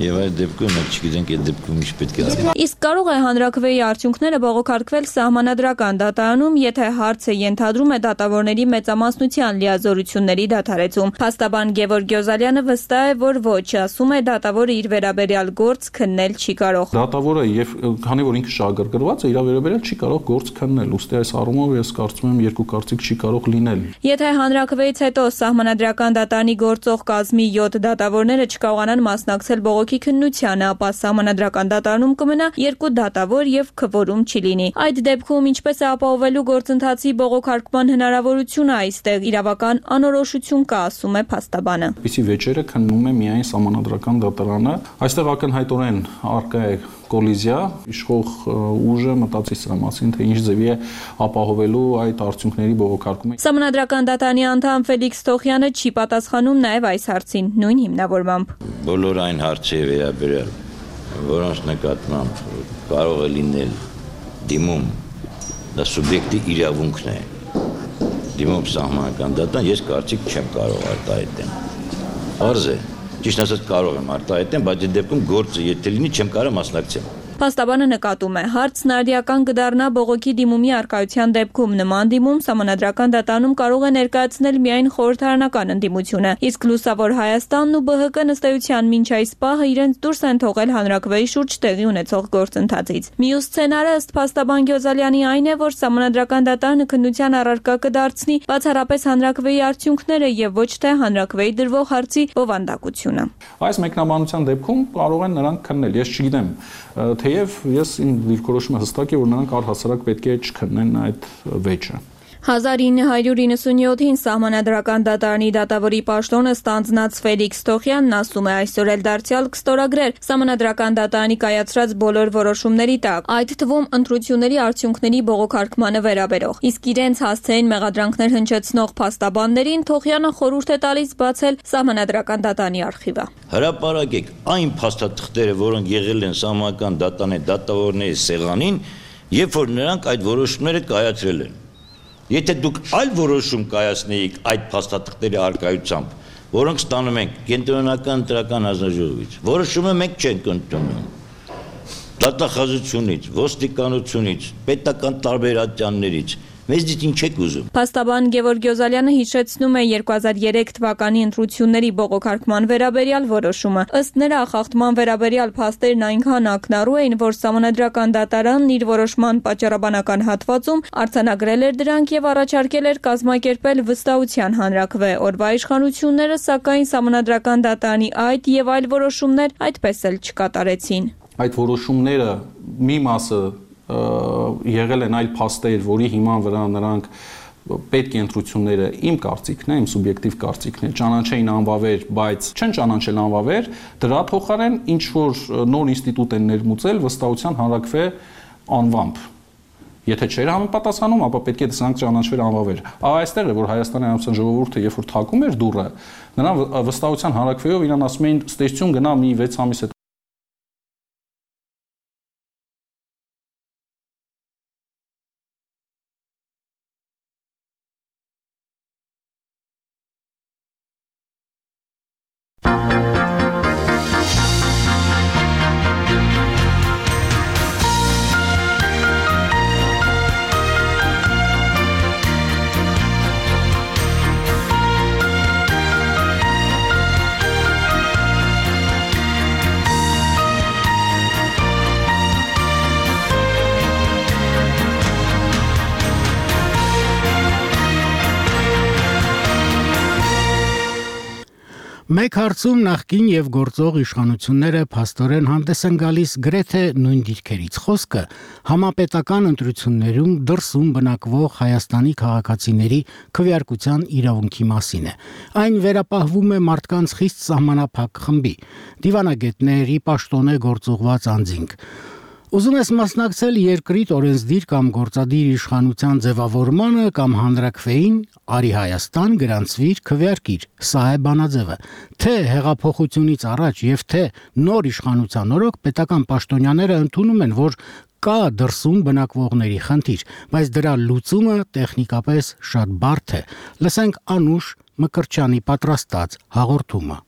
եւ այդ դեպքում մենք չգիտենք այդ դեպքում ինչ պետք է անել։ Իսկ կարող է հանրաքվեի արդյունքները բողոքարկվել սահմանադրական դատարանում, եթե հարցը ենթադրում է դատավորների մեծամասնության լիազորությունների դադարեցում։ Փաստաբան Գևորգ Գյոզալյանը վստահ է, որ ոչ, ասում է դատավորը իր վերաբերյալ գործ քննել չի կարող։ Դատավորը եւ քանի որ ինքը շահագրգռված է, իր վերաբերյալ չի կարող գործ քննել, ուստի այս առումով ես կարծում եմ երկու կարծիք չի կարող լինել։ Եթե հանրաքվեից հետո սահմանադրական դատարանի գործող կազմի 7 դատավորները չկարողանան մասնակցել բողոքի քննությանը, ապա սահմանադրական դատարանում կմնա 2 դատավոր եւ քվորում չի լինի։ Այդ դեպքում ինչպես է ապահովելու գործընթացի բողոքարկման հնարավորությունը, այստեղ իրավական անորոշություն կա, ասում է փաստաբանը։ Պիսի վեճերը քննում է միայն սահմանադրական դատարանը, այստեղ ակնհայտորեն առկա է կոլիզիա, իշխող ուժը մտածի սրա մասին, թե ինչ ձևի է ապահովելու այդ արդյունքների բողոքարկումը։ Սահմանադրական դատարանի անդամ Ֆելիքս Թոխյանը չի պատասխանում նաև այս հարցին, նույն հիմնավորմամբ։ Բոլոր այն հարցերի վերաբերյալ, որոնց նկատմամբ կարող է լինել դիմում, դա սուբյեկտի իրավունքն է։ Դիմում սահմանադրական դատարան, ես կարծիք չեմ կարող արտահայտել։ Պարզ է, ճիշտ ասած կարող եմ արտահայտել, բայց այդ դեպքում գործը եթե լինի, չեմ կարող մասնակցել։ Փաստաբանը նկատում է, հարցն արդիական կդառնա բողոքի դիմումի առկայության դեպքում, նման դիմում սահմանադրական դատարանում կարող է ներկայացնել միայն խորհրդարանական ընդդիմությունը, իսկ Լուսավոր Հայաստանն ու ԲՀԿ-ն ըստ էության մինչ այս պահը իրենց դուրս են թողել հանրաքվեի շուրջ տեղի ունեցող գործընթացից։ Մյուս սցենարը ըստ փաստաբան Գյոզալյանի այն է, որ սահմանադրական դատարանը քննության առարկա կդարձնի բացառապես հանրաքվեի արդյունքները եւ ոչ թե հանրաքվեի դրվող հարցի բովանդակությունը։ Այս մեկնաբանության դեպքում կարող են նրանք քննել, ես չգիտեմ, թեև ես իմ դիրքորոշումը հստակ է, որ նրանք առհասարակ պետք է չքննեն այդ վեճը։ 1997-ին սահմանադրական դատարանի դատավորի պաշտոնը ստանձնած Ֆելիքս Թոխյանն ասում է, այսօր էլ դարձյալ կստորագրեր սահմանադրական դատարանի կայացրած բոլոր որոշումների տակ, այդ թվում ընտրությունների արդյունքների բողոքարկմանը վերաբերող։ Իսկ իրենց հասցեին մեղադրանքներ հնչեցնող փաստաբաններին Թոխյանը խորհուրդ է տալիս բացել սահմանադրական դատարանի արխիվը։ Հրապարակեք այն փաստաթղթերը, որոնք եղել են սահմանադրական դատարանի դատավորների սեղանին, երբ որ նրանք այդ որոշումները կայացրել են։ Եթե դուք այլ որոշում կայացնեիք այդ փաստաթղթերի առկայությամբ, որոնք ստանում ենք կենտրոնական ընտրական հանձնաժողովից, որոշումը մենք չենք ընդունում։ Դատախազությունից, ոստիկանությունից, պետական տարբեր ատյաններից մեզնից ինչ եք ուզում։ Փաստաբան Գևորգ Գյոզալյանը հիշեցնում է 2003 թվականի ընտրությունների բողոքարկման վերաբերյալ որոշումը։ Ըստ նրա, խախտման վերաբերյալ փաստերն այնքան ակնառու էին, որ սահմանադրական դատարանն իր որոշման պատճառաբանական հատվածում արձանագրել էր դրանք եւ առաջարկել էր կազմակերպել վստահության հանրաքվե։ Օրվա իշխանությունները սակայն սահմանադրական դատարանի այդ եւ այլ որոշումներ այդպես էլ չկատարեցին։ Այդ որոշումները մի մասը եղել են այլ փաստեր, որի հիման վրա նրանք պետք է ընտրությունները իմ կարծիքն է, իմ սուբյեկտիվ կարծիքն է, ճանաչեին անվավեր, բայց չեն ճանաչել անվավեր, դրա փոխարեն ինչ որ նոր ինստիտուտ են ներմուծել վստահության հանրաքվե անվամբ։ Եթե չէր համապատասխանում, ապա պետք է դրանք ճանաչվեր անվավեր։ Այստեղ է, որ Հայաստանի Հանրապետության ժողովուրդը երբ որ թակում էր դուռը, նրան վստահության հանրաքվեով իրան ասում էին ստեյցություն գնա մի 6 ամիս հետո։ Մեկ հարցում նախկին եւ գործող իշխանությունները փաստորեն հանդես են գալիս գրեթե նույն դիրքերից։ Խոսքը համապետական ընտրություններում դրսում բնակվող Հայաստանի քաղաքացիների քվեարկության իրավունքի մասին է։ Այն վերապահվում է մարդկանց խիստ սահմանափակ խմբի, դիվանագետների, պաշտոնե գործուղված անձինք։ Ուզում ես մասնակցել երկրի օրենսդիր կամ գործադիր իշխանության ձևավորմանը կամ հանրաքվեին, արի Հայաստան, գրանցվիր, քվեարկիր։ Սա է բանաձևը։ Թե հեղափոխությունից առաջ եւ թե նոր իշխանության օրոք պետական պաշտոնյաները ընդունում են, որ կա դրսում բնակվողների խնդիր, բայց դրա լուծումը տեխնիկապես շատ բարդ է։ Լսենք Անուշ Մկրտչյանի պատրաստած հաղորդումը։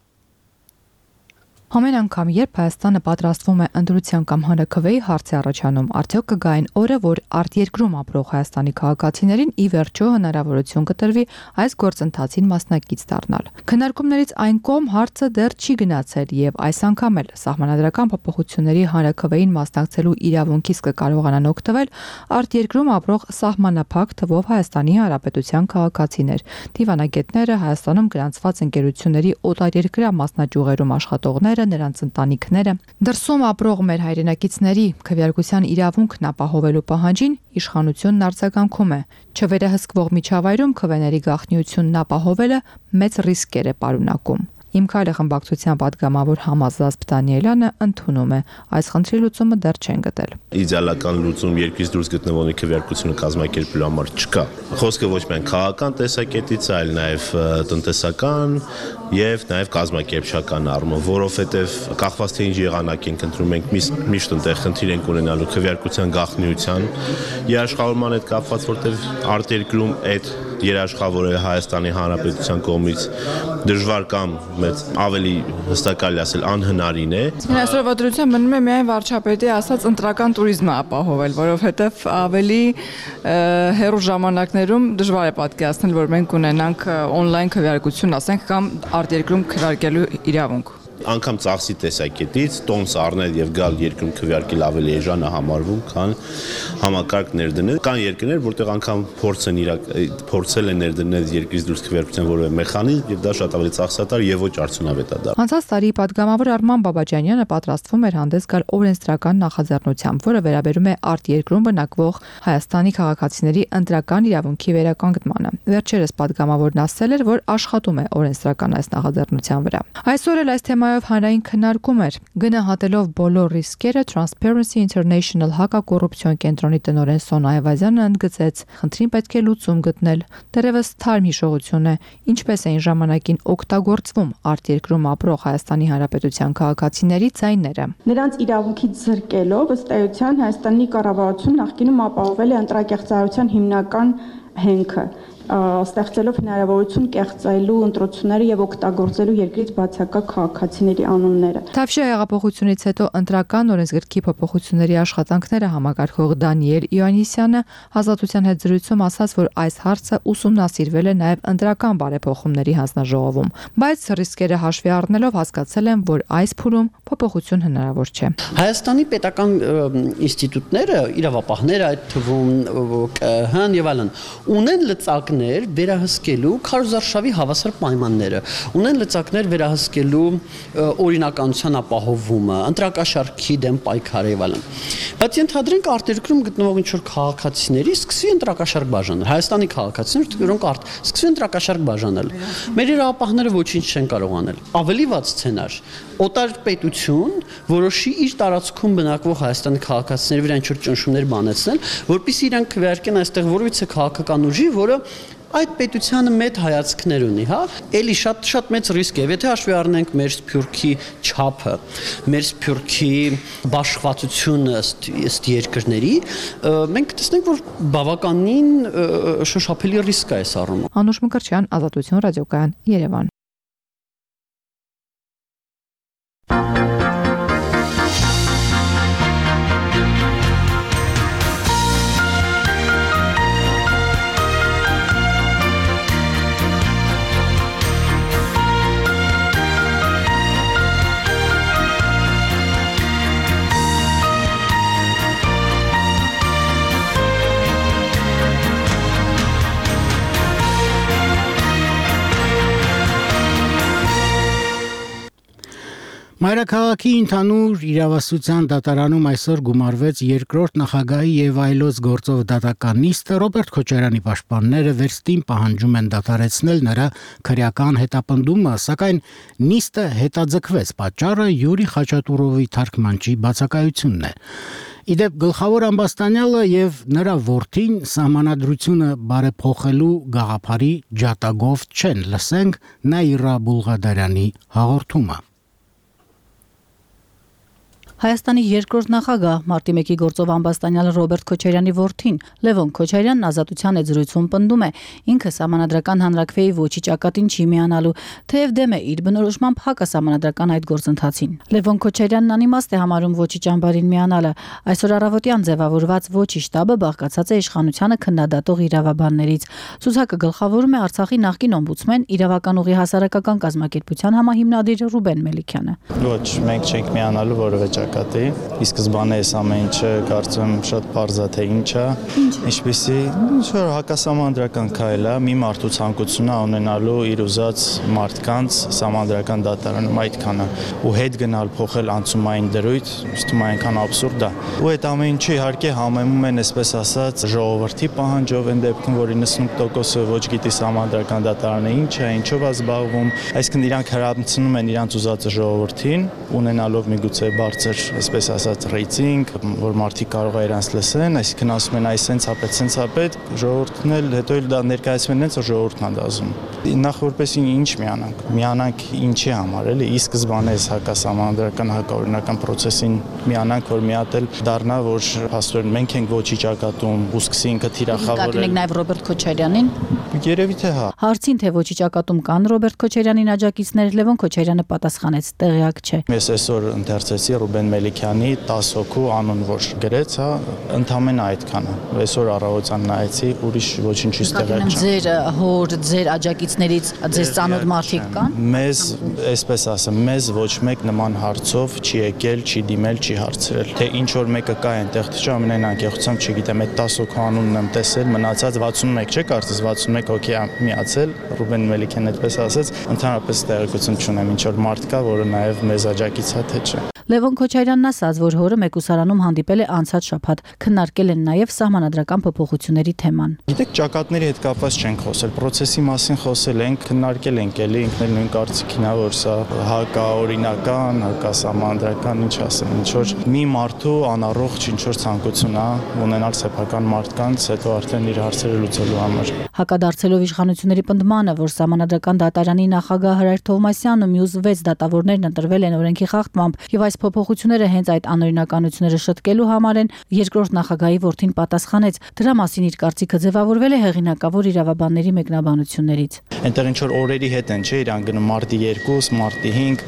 Ամեն անգամ, երբ Հայաստանը պատրաստվում է ընտրության կամ հանրաքվեի հարցի առաջանում, արդյոք կգա այն օրը, որ արտերկրում ապրող Հայաստանի քաղաքացիներին ի վերջո հնարավորություն կտրվի այս գործընթացին մասնակից դառնալ։ Քննարկումներից այն կողմ հարցը դեռ չի գնացել եւ այս անգամ էլ սահմանադրական փոփոխությունների հանրաքվեին մասնակցելու իրավունքից կկարողանան օգտվել արտերկրում ապրող սահմանափակ թվով Հայաստանի Հանրապետության քաղաքացիներ, դիվանագետները, Հայաստանում գրանցված ընկերությունների օտարերկրյա մասնաճյուղերում աշխատողները, ուսանողները, նրանց ընտանիքները։ Դրսում ապրող մեր հայրենակիցների քվեարկության իրավունքն ապահովելու պահանջին իշխանությունն արձագանքում է։ Չվերահսկվող միջավայրում քվեների գաղտնիությունն ապահովելը մեծ ռիսկեր է պարունակում։ Իմ քայլը խմբակցության պատգամավոր Համազազբ Դանիելյանը ընդունում է, այս խնդրի լուծումը դեռ չեն գտել։ Իդեալական լուծում երկրից դուրս գտնվողի քվեարկությունը կազմակերպելու համար չկա։ Խոսքը ոչ միայն քաղաքական տեսակետից, այլ նաև տնտեսական եւ նաև կազմակերպչական առումով, որովհետեւ կախված թե ինչ եղանակ ենք ընտրում, մենք միշտ այնտեղ խնդիր ենք ունենալու քվեարկության գաղտնիության երաշխավորման հետ կապված, որտեւ արտերկրում այդ երաշխավորը Հայաստանի Հանրապետության կողմից դժվար կամ մեծ ավելի հստակալի ասել անհնարին է։ Այսօրվա դրությամբ մնում է միայն վարչապետի ասած ընտրական туриզմը ապահովել, որովհետև ավելի հեռու ժամանակներում դժվար է պատկերացնել, որ մենք ունենանք on-line քվեարկություն, ասենք, կամ արտերկրում քվեարկելու իրավունք։ Անգամ ծախսի տեսակետից տոմս առնել եւ գալ երկրում քվեարկել ավելի էժան է համարվում, քան համակարգ ներդնել։ Կան երկրներ, որտեղ անգամ փորձել են ներդնել երկրից դուրս քվեարկության որևէ մեխանիզմ եւ դա շատ ավելի ծախսատար եւ ոչ արդյունավետ է դա։ Անցած տարի պատգամավոր Արման Բաբաջանյանը պատրաստվում էր հանդես գալ օրենսդրական նախաձեռնությամբ, որը վերաբերում է արտերկրում բնակվող Հայաստանի քաղաքացիների ընտրական իրավունքի վերականգնմանը։ Վերջերս պատգամավորն ասել էր, որ աշխատում է օրենսդրական այս նախաձեռնության վրա։ Այսօր էլ այս թեմայով հանրային քննարկում էր։ Գնահատելով բոլոր ռիսկերը, Transparency International հակակոռուպցիոն կենտրոնի տնօրեն Սոնա Այվազյանը ընդգծեց, խնդրին պետք է լուծում գտնել։ Դեռևս թարմ հիշողություն է, ինչպես էին ժամանակին օգտագործվում արտերկրում ապրող Հայաստանի Հանրապետության քաղաքացիների ձայները։ Նրանց իրավունքից զրկելով, ըստ էության Հայաստանի կառավարությունը նախկինում ապահովել է ընտրակեղծարարության հիմնական հենքը, ստեղծելով հնարավորություն կեղծելու ընտրությունները եւ օգտագործելու երկրից բացակայ քաղաքացիների անունները։ Թավշյա հեղափոխությունից հետո ընտրական օրենսգրքի փոփոխությունների աշխատանքները համակարգող Դանիել Իոաննիսյանը Ազատության հետ զրույցում ասաց, որ այս հարցը ուսումնասիրվել է նաեւ ընտրական բարեփոխումների հանձնաժողովում, բայց ռիսկերը հաշվի առնելով հասկացել են, որ այս փուլում փոփոխություն հնարավոր չէ։ Հայաստանի պետական ինստիտուտները, իրավապահները, այդ թվում ԿՀ-ն եւ այլն, ունեն լծակներ վերահսկելու քարոզարշավի հավասար պայմանները, ունեն լծակներ վերահսկելու օրինականության ապահովումը, ընտրակաշառքի դեմ պայքարը եւ այլն։ Բայց ենթադրենք արտերկրում գտնվող ինչ-որ քաղաքացիների սկսի ընտրակաշառք բաժանել, Հայաստանի քաղաքացիներ, որոնք սկսի ընտրակաշառք բաժանել։ Մեր իրավապահները ոչինչ չեն կարող անել։ Ավելի վատ սցենար, օտար պետություն որոշի իր տարածքում բնակվող Հայաստանի քաղաքացիների վրա ինչ-որ ճնշումներ բանեցնել, որպեսզի իրանք քվեարկեն այստեղ որևիցե քաղաքական ուժի, որը այդ պետությանը մեծ հայացքներ ունի, հա, էլի շատ մեծ ռիսկ է, եթե հաշվի առնենք մեր Սփյուռքի չափը, մեր Սփյուռքի բաշխվածությունը ըստ երկրների, մենք տեսնենք, որ բավականին շոշափելի ռիսկ է այս առումով։ Անուշ Մկրտչյան, Ազատություն ռադիոկայան, Երևան։ Մայրաքաղաքի ընդհանուր իրավասության դատարանում այսօր գումարվեց երկրորդ նախագահի եւ այլոց գործով դատական նիստը Ռոբերտ Քոչարյանի պաշտպանները վերստին պահանջում են դատարեցնել նրա քրեական հետապնդումը, սակայն նիստը հետաձգվեց, պատճառը Յուրի Խաչատուրովի թարգմանչի բացակայությունն է։ Իդեպ գլխավոր ամբաստանյալը եւ նրա որդին սահմանադրությունը բարեփոխելու գաղափարի ջատագով չեն, լսենք Նաիրա Բուլղադարյանի հաղորդումը։ Հայաստանի երկրորդ նախագահ մարտի 1-ի գործով ամբաստանյալ Ռոբերտ Քոչարյանի որդին Լևոն Քոչարյանն Ազատության հետ զրույցում պնդում է, ինքը սահմանադրական հանրաքվեի ոչի ճակատին չի միանալու, թեև դեմ է իր բնորոշմամբ հակասահմանադրական այդ գործընթացին։ Լևոն Քոչարյանն անիմաստ է համարում ոչի ճամբարին միանալը։ Այսօր առավոտյան ձևավորված ոչի շտաբը բաղկացած է իշխանությանը քննադատող իրավաբաններից։ Ցուցակը գլխավորում է Արցախի նախկին օմբուդսմեն իրավական ուղի հասարակական կազմակերպության համահիմնադիր Ռուբեն Մելիքյանը։ Ոչ, մենք չենք միանալու որևէ նկատի։ Ի սկզբանե այս ամեն ինչը կարծում եմ շատ պարզ է թե ինչ է, ինչպեսի ինչ-որ հակասահմանադրական քայլ է, մի մարդու ցանկությունը ունենալու իր ուզած մարդկանց սահմանադրական դատարանում այդքանը ու հետ գնալ փոխել անցումային դրույթ, ըստ ում այնքան աբսուրդ է։ Ու այդ ամեն ինչը իհարկե համեմում են, այսպես ասած, ժողովրդի պահանջով այն դեպքում, որ 90%-ը ոչ գիտի սահմանադրական դատարանը ինչ է, ինչով է զբաղվում, այսինքն իրանք հրամցնում են իրանք ուզածը ժողովրդին, ունենալով միգուցե բարձր, այսպես ասած, ռեյտինգ, որ մարդիկ կարող է իրանց լսեն, այսինքն ասում են այս սենց ապետ, ժողովուրդն էլ հետո էլ դա ներկայացնում են, որ ժողովուրդն է դասում։ Նախ որպես ինչ միանանք ինչի համար, էլի, ի սկզբանե այս հակասահմանադրական հակաօրինական process-ին միանանք, որ մի հատ էլ դառնա, որ փաստորեն մենք ենք ոչի ճակատում, ու սկսի ինքը թիրախավորել։ Նկատի ունեք նաև Ռոբերտ Քոչարյանին։ Երևի թե հա։ Հարցին թե ոչի ճակատում կան Ռոբերտ Քոչարյանին աջակիցներ, Լևոն Քոչարյանը պատասխանեց՝ տեղյակ չէ։ Ես այսօր ընթերցեցի Ռուբեն Մելիքյանի 10 հոգու անուն, որ գրեց, հա, ընդամենը այդքանը։ Այսօր առավոտյան նայեցի, ուրիշ ոչինչից տեղյակ չեմ։ Ձեր հոր, ձեր աջակիցներից ձեզ ծանոթ մարդիկ կան։ Մեզ, այսպես ասեմ, մեզ ոչ մեկ նման հարցով չի եկել, չի դիմել, չի հարցրել։ Թե ինչ որ մեկը կա այնտեղ, թե ամենայն անկեղծությամբ չգիտեմ, այդ 10 հոգու անունն եմ տեսել, մնացած 61 չէ, կարծես 61 հոգի է միացել, Ռուբեն Մելիքյանն այդպես ասեց, ընդհանրապես տեղեկություն չունեմ, ինչ որ մարդ կա, որը նաև մեզ աջակից է, թե չէ։ Լևոն Քոչարյանն ասաց, որ հորը մեկուսարանում հանդիպել է անցած շաբաթ, քննարկել են նաև սահմանադրական փոփոխությունների թեման։ Գիտեք, ճակատների հետ կապված չենք խոսել, process-ի մասին խոսել ենք, քննարկել ենք, էլի ինքն էլ նույն կարծիքին է, որ սա հակաօրինական, հակասահմանադրական, ինչ ասեմ, ինչ որ մի մարդու անառողջ ինչ որ ցանկություն է ունենալ սեփական մարդկանց, հետո արդեն իր հարցերը լուծելու համար։ Հակադարձելով իշխանությունների պնդմանը, որ սահմանադրական դատարանի նախագահ Հրայր Թովմասյանն ու մյուս 6 դատավորներն ընտրվել են օրենքի խախտմամբ, եւ այս փոփոխությունները հենց այդ անօրինականությունները շտկելու համար են, երկրորդ նախագահի որդին պատասխանեց, դրա մասին իր կարծիքը ձևավորվել է հեղինակավոր իրավաբանների մեկնաբանություններից։ Այնտեղ ինչ որ օրերի հետ են, չէ, իրան գնում մարտի 2, մարտի 5,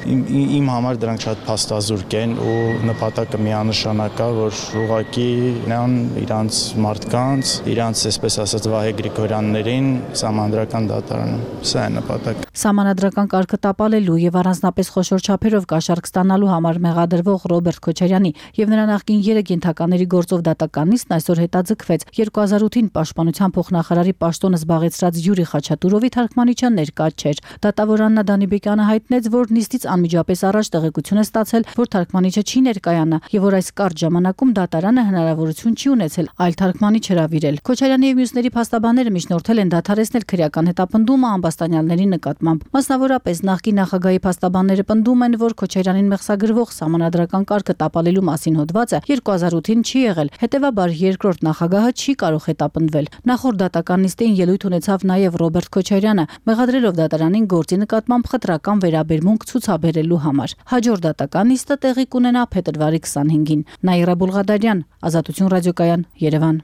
իմ համար դրանք շատ փաստազուրկ են ու նպատակը միանշանակ է, որ ուղղակի նրան իրանց մարդկանց, իրանց այսպես ասած Վահե Գրիգորյաններին սահմանադրական դատարանում։ Սա է նպատակը։ Սահմանադրական կարգը տապալելու եւ առանձնապես խոշոր չափերով կաշառք ստանալու համար մեղադրվող Ռոբերտ Քոչարյանի եւ նրա նախկին 3 ենթակաների գործով դատականնիստն այսօր հետաձգվեց 2008-ին պաշտպանության փոխնախարարի պաշտոնը զբաղեցրած Յուրի Խաչատուրովի թարգմանիչը ներկա չէր։ Դատավոր Աննա Դանիբեկյանը հայտնեց, որ նիստից անմիջապես առաջ տեղեկություն է ստացել, որ թարգմանիչը չի ներկայանա եւ որ այս կարճ ժամանակում դատարանը հնարավորություն չի ունեցել այլ թարգմանիչ հրավիրել։ Քոչարյանի եւ մյուսների փաստաբանները միջնորդել են դադարեցնել քրեական հետապնդումը ամբաստանյալների նկատմամբ։ Մասնավորապես նախկին նախագահի փաստաբանները պնդում են, որ Քոչարյանին մեղսագրվող սահմանադրական կարգը տապալելու մասին հոդվածը 2008-ին չի եղել, հետևաբար երկրորդ նախագահը չի կարող հետապնդվել։ Նախորդ դատական նիստին ելույթ ունեցավ նաև Ռոբերտ Քոչարյանը, մեղադրելով դատարանին գործի նկատմամբ խտրական վերաբերմունք ցուցաբերելու համար։ Հաջորդ դատական նիստը տեղի կունենա փետրվարի 25-ին։ Նաիրա Բուլղադարյան, Ազատություն ռադիոկայան, Երևան։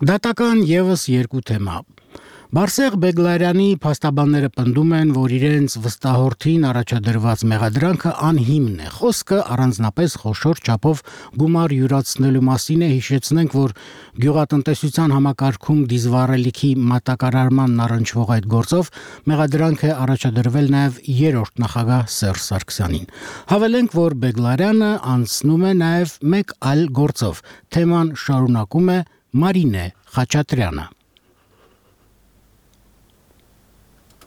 Դատական եւս երկու թեմա։ Բարսեղ Բեգլարյանի փաստաբանները պնդում են, որ իրենց վստահորդին առաջադրված մեղադրանքը անհիմն է։ Խոսքը առանձնապես խոշոր չափով գումար յուրացնելու մասին է, հիշեցնենք, որ գյուղատնտեսության համակարգում դիզվառելիքի մատակարարմանն առնչվող այդ գործով մեղադրանք է առաջադրվել նաև երրորդ նախագահ Սերժ Սարգսյանին։ Հավելենք, որ Բեգլարյանը անցնում է նաև մեկ այլ գործով։ Թեման շարունակում է Մարինե Խաչատրյանը։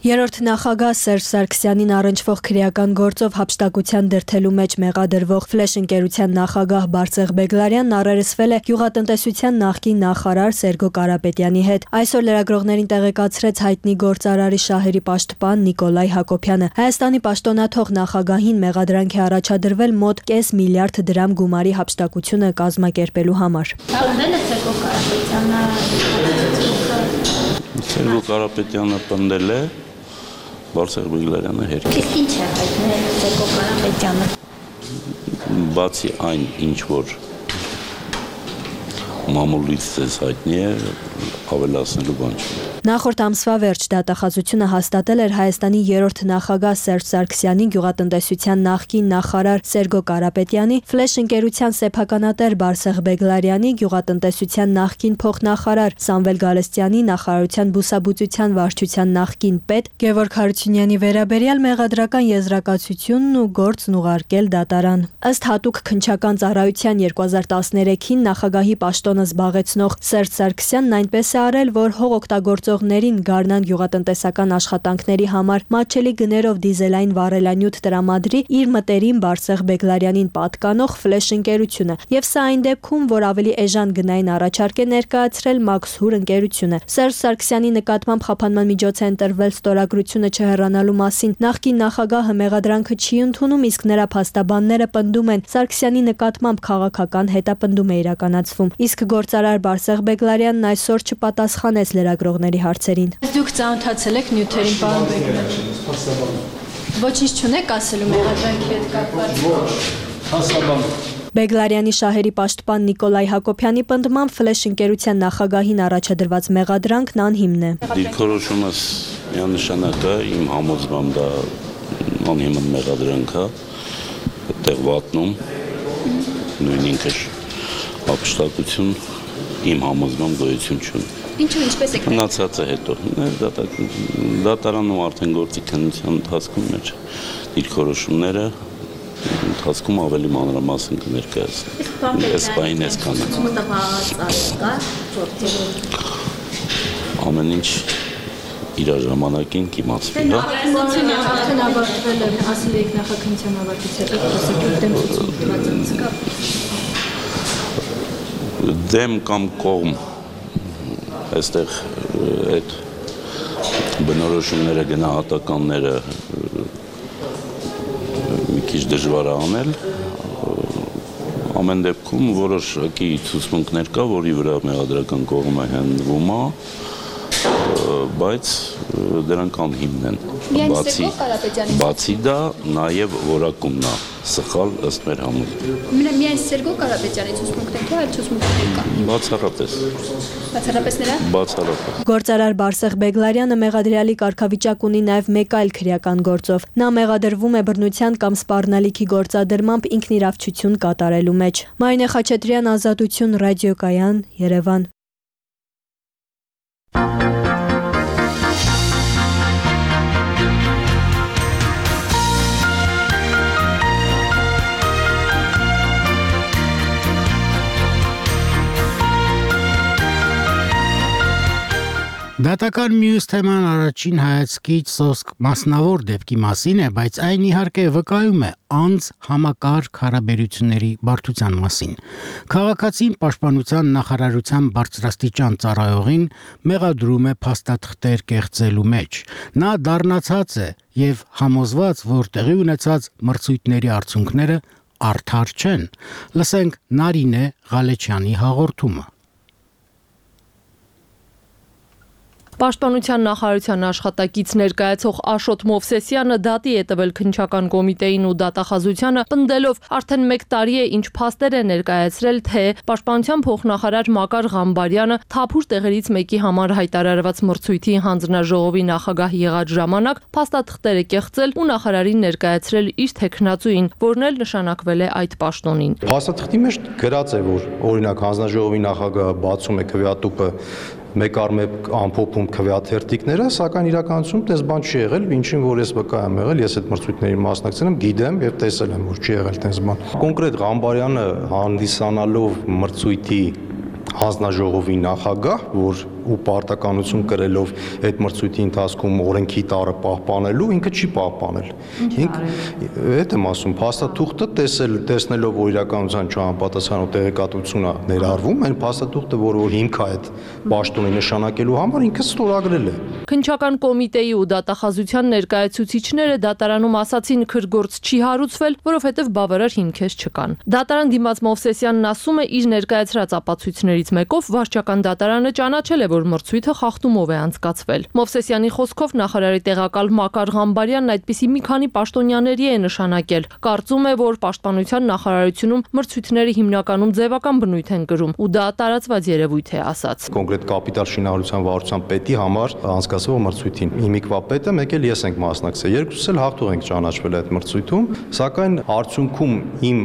Երրորդ նախագահ Սերժ Սարգսյանին առնչվող քրեական գործով հափշտակության դրդելու մեջ մեղադրվող Ֆլեշ ընկերության նախագահ Բարսեղ Բեգլարյանն առերեսվել է գյուղատնտեսության նախկին նախարար Սերգո Կարապետյանի հետ։ Այսօր լրագրողներին տեղեկացրեց հայտնի գործարարի շահերի պաշտպան Նիկոլայ Հակոբյանը։ Հայաստանի պաշտոնաթող նախագահին մեղադրանք է առաջադրվել մոտ 0.5 միլիարդ դրամ գումարի հափշտակությունը կազմակերպելու համար։ Սերգո Կարապետյանը պնդել է, Բարսեղ Բեգլարյանը հետ։ Իսկ ինչ է հայտնել Սերգո Կարապետյանը։ Բացի այն, ինչ որ մամուլից ձեզ հայտնի է, ավելացնելու բան չի։ Նախորդ ամսվա վերջ դատախազությունը հաստատել էր Հայաստանի 3-րդ նախագահ Սերժ Սարգսյանի, գյուղատնտեսության նախկին նախարար Սերգո Կարապետյանի, Ֆլեշ ընկերության սեփականատեր Բարսեղ Բեգլարյանի, գյուղատնտեսության նախկին փոխնախարար Սամվել Գալստյանի, նախարարության բուսաբուծության վարչության նախկին պետ Գևորգ Հարությունյանի վերաբերյալ մեղադրական եզրակացությունն ու գործն ուղարկել դատարան։ Ըստ հատուկ քննչական ծառայության 2013-ին նախագահի պաշտոնը զբաղեցնող Սերժ Սարգսյանն այնպես է արել, որ հող օգտագործողներին Գառնան գյուղատնտեսական աշխատանքների համար մատչելի գներով դիզելային վառելանյութ տրամադրի իր մտերիմ Բարսեղ Բեգլարյանին պատկանող Ֆլեշ ընկերությունը, եւ սա այն դեպքում, որ ավելի էժան գնային առաջարկ է ներկայացրել Մաքսհուր ընկերությունը։ Սերժ Սարգսյանի նկատմամբ խափանման միջոց է ընտրվել ստորագրությունը չհեռանալու մասին։ Նախկին նախագահը մեղադրանքը չի ընդունում, իսկ նրա փաստաբանները պնդում են Սարգսյանի նկատմամբ քաղաքական հետապնդում է իրականացվում։ Իսկ գործարար Բարսեղ Բեգլարյանն այսօր չպատասխանեց լրագրողների հարցերին։ Դուք ծանոթացել եք նյութերին, պարոն Բեգլարյան։ Ոչինչ չունեք ասելու մեղադրանքի հետ կապված։ Բեգլարյանի շահերի պաշտպան Նիկոլայ Հակոբյանի պնդմամբ Ֆլեշ ընկերության նախագահին առաջադրված մեղադրանքն անհիմն է։ Դիրքորոշումս միանշանակ է, իմ համոզմամբ դա անհիմն մեղադրանք է, այդտեղ վատնում, նույն ինքը ապշտակություն իմ համոզմամբ գոյություն չունի։ Ինչու ինչպես եք մնացած է հետո դատարանում արդեն գործի քննության ընթացքում մեր դիրքորոշումները ընթացքում ավելի մանրամասն կներկայացնեն։ Այս բանը այսքանը։ Ամեն ինչ իր ժամանակին կիմացվի, հա։ Արդեն ավարտվել է, ասել եք նախաքննության ավարտից հետո դեմ կամ կողմ այստեղ այդ բնորոշումները գնահատականները մի քիչ դժվար է անել, ամեն դեպքում որոշակի ցուցմունքներ կա, որի վրա մեղադրական կողմը հենվում է, բայց դրանք անհիմն են։ Բացի դա նաև որակումն է սխալ ըստ մեր համոզմունքի։ Միայն Սերգո Կարապետյանի ցուցմունքն է, թե այլ ցուցմունքներ կա։ Բացառապես։ Բացառապես նրա։ Բացառապես։ Գործարար Բարսեղ Բեգլարյանը մեղադրյալի կարգավիճակ ունի նաև մեկ այլ քրեական գործով։ Նա մեղադրվում է բռնության կամ սպառնալիքի գործադրմամբ ինքնիրավչություն կատարելու մեջ։ Մարինե Խաչատրյան, Ազատություն, ռադիոկայան, Երևան։ Դատական մյուս թեման առաջին հայացքից սոսկ մասնավոր դեպքի մասին է, բայց այն իհարկե վկայում է անձ համակարգ հարաբերությունների բարդության մասին։ Քաղաքացին պաշտպանության նախարարության բարձրաստիճան ծառայողին մեղադրում է փաստաթղթեր կեղծելու մեջ։ Նա դառնացած է եւ համոզված, որ տեղի ունեցած մրցույթների արդյունքները արդար չեն։ Լսենք Նարինե Ղալեչյանի հաղորդումը։ Պաշտպանության նախարարության աշխատակից ներկայացող Աշոտ Մովսեսյանը դատի է տվել քննչական կոմիտեին ու դատախազությանը, պնդելով արդեն 1 տարի է ինչ փաստեր է ներկայացրել, թե պաշտպանության փոխնախարար Մակար Ղամբարյանը թափուր տեղերից մեկի համար հայտարարված մրցույթի հանձնաժողովի նախագահ եղած ժամանակ փաստաթղթեր է կեղծել ու նախարարին ներկայացրել իր թեկնածուին, որն էլ նշանակվել է այդ պաշտոնին։ Փաստաթղթի մեջ գրած է, որ օրինակ հանձնաժողովի նախագահը բացում է քվեատուփը մեկ առ մեկ ամփոփում քվեաթերթիկները, սակայն իրականությունում դες բան չի եղել, ինչին որ ես վկա եմ եղել, ես այդ մրցույթներին մասնակցել եմ, գիտեմ եւ տեսել եմ, որ չի եղել դες բան։ Կոնկրետ Ղամբարյանը հանդիսանալով մրցույթի հանձնաժողովի նախագահ, որ ու պարտականություն կրելով այդ մրցույթի ընթացքում օրենքի տարը պահպանելու, ինքը չի պահպանել։ Այդ եմ ասում, փաստաթուղթը տեսնելով որ իրականության չհամապատասխանող տեղեկատվություն է ներառվում, այն փաստաթուղթը, որ հիմք է այդ պաշտոնի նշանակելու համար, ինքը ստորագրել է։ Քննչական կոմիտեի ու դատախազության ներկայացուցիչները դատարանում ասացին քրգործ չի հարուցվել, որովհետև բավարար հիմքեր չկան։ Դատարան դիմաց Մովսեսյանն ասում է իր ներկայացրած ապացույցներից մեկով վարչական դատարանը ճանաչել է, որ մրցույթը խախտումով է անցկացվել։ Մովսեսյանի խոսքով նախարարի տեղակալ Մակար Ղամբարյանն այդպիսի մի քանի պաշտոնյաների է նշանակել։ Կարծում է, որ պաշտպանության նախարարությունում մրցույթները հիմնականում ձևական բնույթ են կրում ու դա տարածված երևույթ է, ասաց։ Կոնկրետ կապիտալ շինարարության վարչության պետի համար անցկացվող մրցույթին հիմիկվա պետը մեկ էլ ես ենք մասնակցել, երկուսս էլ հաղթող ենք ճանաչվել այդ մրցույթում, սակայն արդյունքում իմ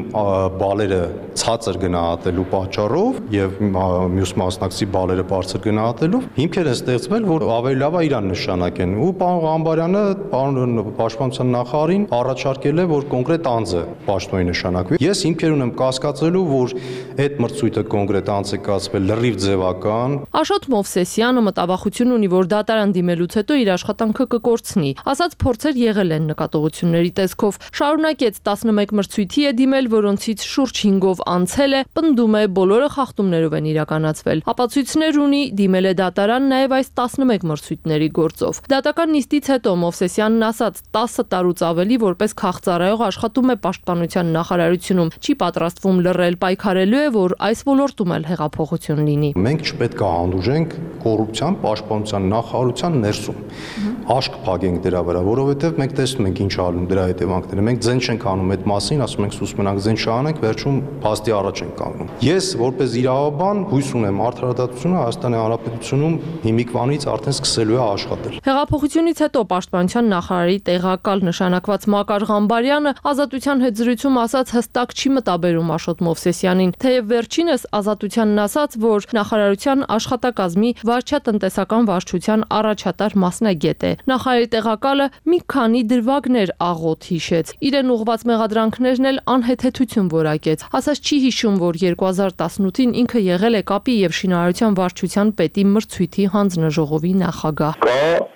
բալերը ցածր գնահատելու պատճառով եւ մյուս մասնակցի բալերը բարձր գնահատելով հիմքեր են ստեղծվել, որ ավելի լավ է իրան նշանակեն ու պարոն Ղամբարյանը պարոն պաշտպանության նախարարին առաջարկել է, որ կոնկրետ անձը պաշտոնի նշանակվի։ Ես հիմքեր ունեմ կասկածելու, որ այդ մրցույթը կոնկրետ անձ է կազմել լրիվ ձևական։ Աշոտ Մովսեսյանը մտավախություն ունի, որ դատարան դիմելուց հետո իր աշխատանքը կկորցնի։ Ասաց փորձեր եղել են նկատողությունների տեսքով։ Շարունակեց 11 մրցույթի է դիմել, որոնցից շուրջ 5-ով անցել է, պնդում է բոլորը խախտումներով են իրականացվել։ Ապացույցներ ունի, դիմել է դատարան նաև այս 11 մրցույթների գործով։ Դատական նիստից հետո Մովսեսյանն ասաց 10 տարուց ավելի որպես քաղծառայող աշխատում է պաշտպանության նախարարությունում, չի պատրաստվում լռել, պայքարելու է, որ այս ոլորտում էլ հեղափոխություն լինի։ Մենք չպետք է հանդուրժենք կոռուպցիան պաշտպանության նախարարության ներսում։ Աշկ փակենք դրա վրա, որովհետև մենք տեսնում ենք ինչ անում դրա հետևանքները։ Մենք ձեն չենք անում այդ մասին, ասում ենք սուս մնանք, ձեն չանենք, վերջում փաստի առաջ ենք կանգնում։ Ես որպես իրավաբան հույս ունեմ արդարադատությունը Հայաստանի Հանրապետությունում հիմիկվանից արդեն սկսելու է աշխատել։ Հեղափոխությունից հետո պաշտպանության նախարարի տեղակալ նշանակված Մակար Ղամբարյանը Ազատության հետ զրույցում ասաց հստակ չի մտաբերում Աշոտ Մովսեսյանին, թեև վերջինս Ազատությանն ասաց, որ նախարարության աշխատակազմի վարչատնտեսական վարչության առաջատար մասնագետ է։ Նախարարի տեղակալը մի քանի դրվագներ աղոտ հիշեց։ Իրեն ուղված մեղադրանքներն էլ անհեթեթություն որակեց։ Ասաց չի հիշում, որ 2018-ին ինքը եղել է կապի եւ շինարարության վարչության պետի մրցույթի հանձնաժողովի նախագահ։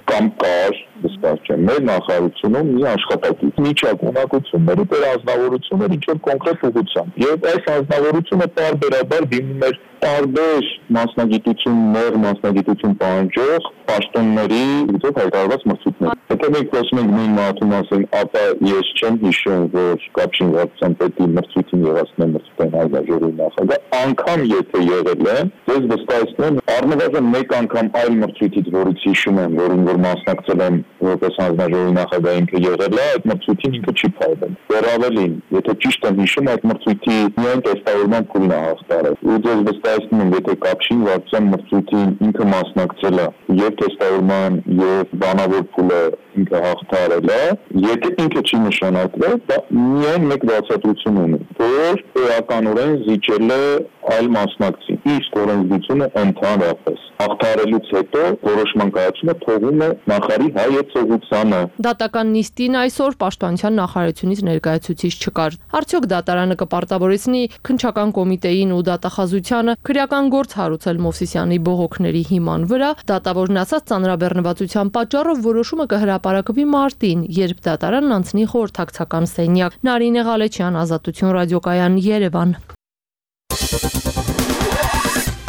Կամ կար, վստահ չեմ, մեր նախարարությունում մի աշխատակից միջակ ունակությունների դեր ազնվորություններ ինչ որ կոնկրետ ուղղությամբ։ Եվ այս ազնվորությունը տարբերաբար դիմում էր տարբեր մասնագիտություններ, մասնագիտություն պահանջող պաշտոնների ուղղով հայտարարված մրցույթներ։ Եթե մենք խոսում ենք նույն մարդու մասին, ապա ես չեմ հիշում, որ կապչին վարչության պետի մրցույթին եղածն մրցույթային հանձնաժողովի նախագահ, անգամ եթե եղել են, ես վստահեցնում եմ առնվազն մեկ անգամ այլ մրցույթից, որից հիշում եմ, որին որ մասնակցել եմ որպես հանձնաժողովի նախագահ ինքը եղել է, այդ մրցույթին ինքը չի փայլել։ Դեռ ավելին, եթե ճիշտ եմ հիշում, այդ մրցույթի միայն տեստավորման փուլն է հաղթարել։ Ու ես վստահեցնում եմ, եթե կապչին վարչության մրցույթին ինքը մասնակցել է եւ տեստավորման եւ բանավոր փուլը ինքը հաղթարել է, եթե ինքը չի նշանակվել, դա միայն մեկ բացատրություն ունի, որ էականորեն զիջել է այլ մասնակցի։ Իսկ օրենսդրությունը ընդհանրապես հաղթարելուց հետո որոշման կայացումը թողում է նախարարի հայեցողությանը։ Դատական նիստին այսօր պաշտպանության նախարարությունից ներկայացուցիչ չկար։ Արդյոք դատարանը կպարտավորեցնի քննչական կոմիտեին ու դատախազությանը քրեական գործ հարուցել Մովսեսյանի բողոքների հիման վրա, դատավորն ասաց ծանրաբեռնվածության պատճառով որոշումը կհրապարակվի մարտին, երբ դատարանն անցնի խորհրդակցական սենյակ։ Նարինե Ղալեչյան, Ազատություն ռադիոկայան, Երևան։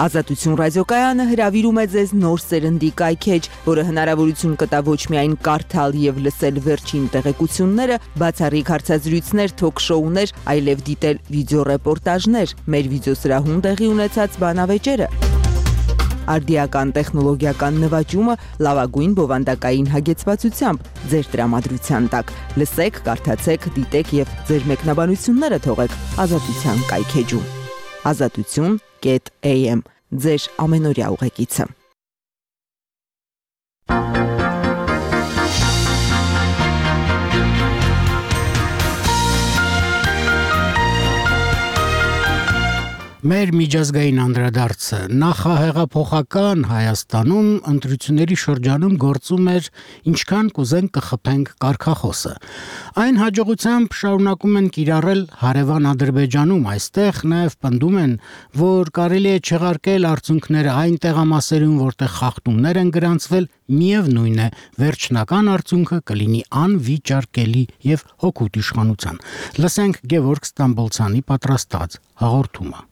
Ազատություն ռադիոկայանը հրավիրում է ձեզ նոր սերնդի կայքեջ, որը հնարավորություն կտա ոչ միայն կարդալ եւ լսել վերջին տեղեկությունները, բացառիկ հարցազրույցներ, թոք-շոուներ, այլև դիտել վիդեոռեպորտաժներ, մեր վիդեոսրահում տեղի ունեցած բանավեճերը, արդիական տեխնոլոգիական նվաճումը լավագույն բովանդակային հագեցվածությամբ ձեր տրամադրության տակ։ Լսեք, կարդացեք, դիտեք եւ ձեր մեկնաբանությունները թողեք Ազատության կայքեջում։ Azatutun.am ձեր ամենօրյա ուղեկիցը։ Մեր միջազգային անդրադարձը նախահեղափոխական Հայաստանում ընտրությունների շրջանում գործում էր ինչքան կուզենք կխփենք կարգախոսը։ Այն հաջողությամբ շարունակում են կիրառել հարևան Ադրբեջանում, այստեղ նաև պնդում են, որ կարելի է չեղարկել արդյունքները այն տեղամասերում, որտեղ խախտումներ են գրանցվել, միևնույն է, վերջնական արդյունքը կլինի անվիճարկելի եւ հօգուտ իշխանության։ Լսենք Գևորգ Ստամբոլցյանի պատրաստած հաղորդումը։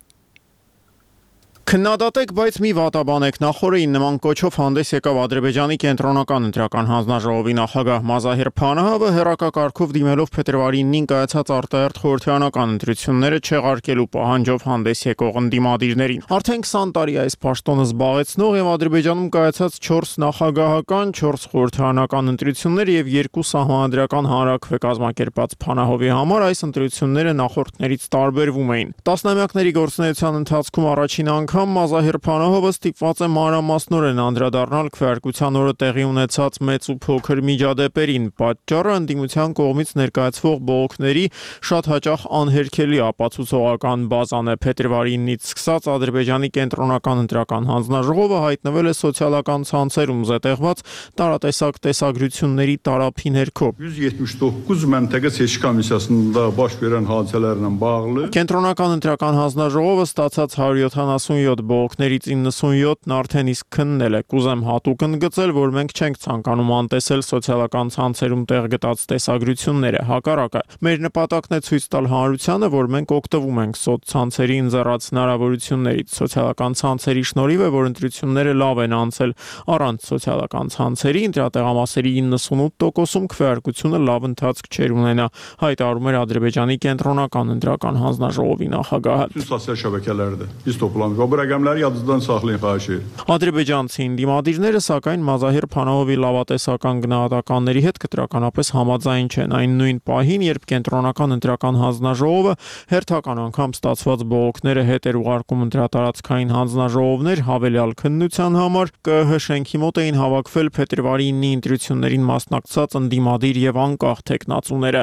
Քննադատեք, բայց մի վատաբանեք, նախորդին նման կոչով հանդես եկավ Ադրբեջանի կենտրոնական ընտրական հանձնաժողովի նախագահ Մազահիր Փանահովը հեռակակարգով դիմելով փետրվարի 9-ին կայացած արտահերթ խորհրդարանական ընտրությունները չեղարկելու պահանջով հանդես եկող ընդդիմադիրներին։ Արդեն 20 տարի այս պաշտոնը զբաղեցնող եւ Ադրբեջանում կայացած 4 նախագահական, 4 խորհրդարանական ընտրություններ եւ 2 սահմանադրական հանրաքվե կազմակերպած Փանահովի համար այս ընտրությունները նախորդներից տարբերվում էին։ Տասնամյակների գործունեության ընթացքում առաջին անգամ Մազահիր Փանահովը ստիպված է մանրամասնորեն անդրադառնալ քվեարկության օրը տեղի ունեցած մեծ ու փոքր միջադեպերին։ Պատճառը ընդդիմության կողմից ներկայացվող բողոքների շատ հաճախ անհերքելի ապացուցողական բազան է։ Փետրվարի 9-ից սկսած Ադրբեջանի կենտրոնական ընտրական հանձնաժողովը հայտնվել է սոցիալական ցանցերում զետեղված տարատեսակ տեսագրությունների տարափի ներքո։ 179 məntəqə seçki komissiyasında baş verən hadisələrlə bağlı Կենտրոնական ընտրական հանձնաժողովը ստացած 177 բողոքներից 97-ն արդեն իսկ քննել է։ Կուզեմ հատուկ ընդգծել, որ մենք չենք ցանկանում անտեսել սոցիալական ցանցերում տեղ գտած տեսագրությունները։ Հակառակը, մեր նպատակն է ցույց տալ հանրությանը, որ մենք օգտվում ենք սոցցանցերի ընձեռած հնարավորություններից։ Սոցիալական ցանցերի շնորհիվ է, որ ընտրությունները լավ են անցել։ Առանց սոցիալական ցանցերի ընտրատեղամասերի 98%-ում քվեարկությունը լավ ընթացք չէր ունենա, հայտարարում էր Ադրբեջանի կենտրոնական ընտրական հանձնաժողովի նախագահը։ Սոցիալ շաբəkələrdə biz toplanmışıq. Bu rəqəmləri yadınızdan saxlayın, xahiş edirəm։ Ադրբեջանցի ընդդիմադիրները սակայն Մազահիր Փանահովի լավատեսական գնահատականների հետ կտրականապես համաձայն չեն։ Այն նույն պահին, երբ կենտրոնական ընտրական հանձնաժողովը հերթական անգամ ստացված բողոքները հետ էր ուղարկում ընտրատարածքային հանձնաժողովներ հավելյալ քննության համար, ԿԸՀ շենքի մոտ էին հավաքվել փետրվարի 9-ի ընտրություններին մասնակցած ընդդիմադիր եւ անկախ տեխնացուները։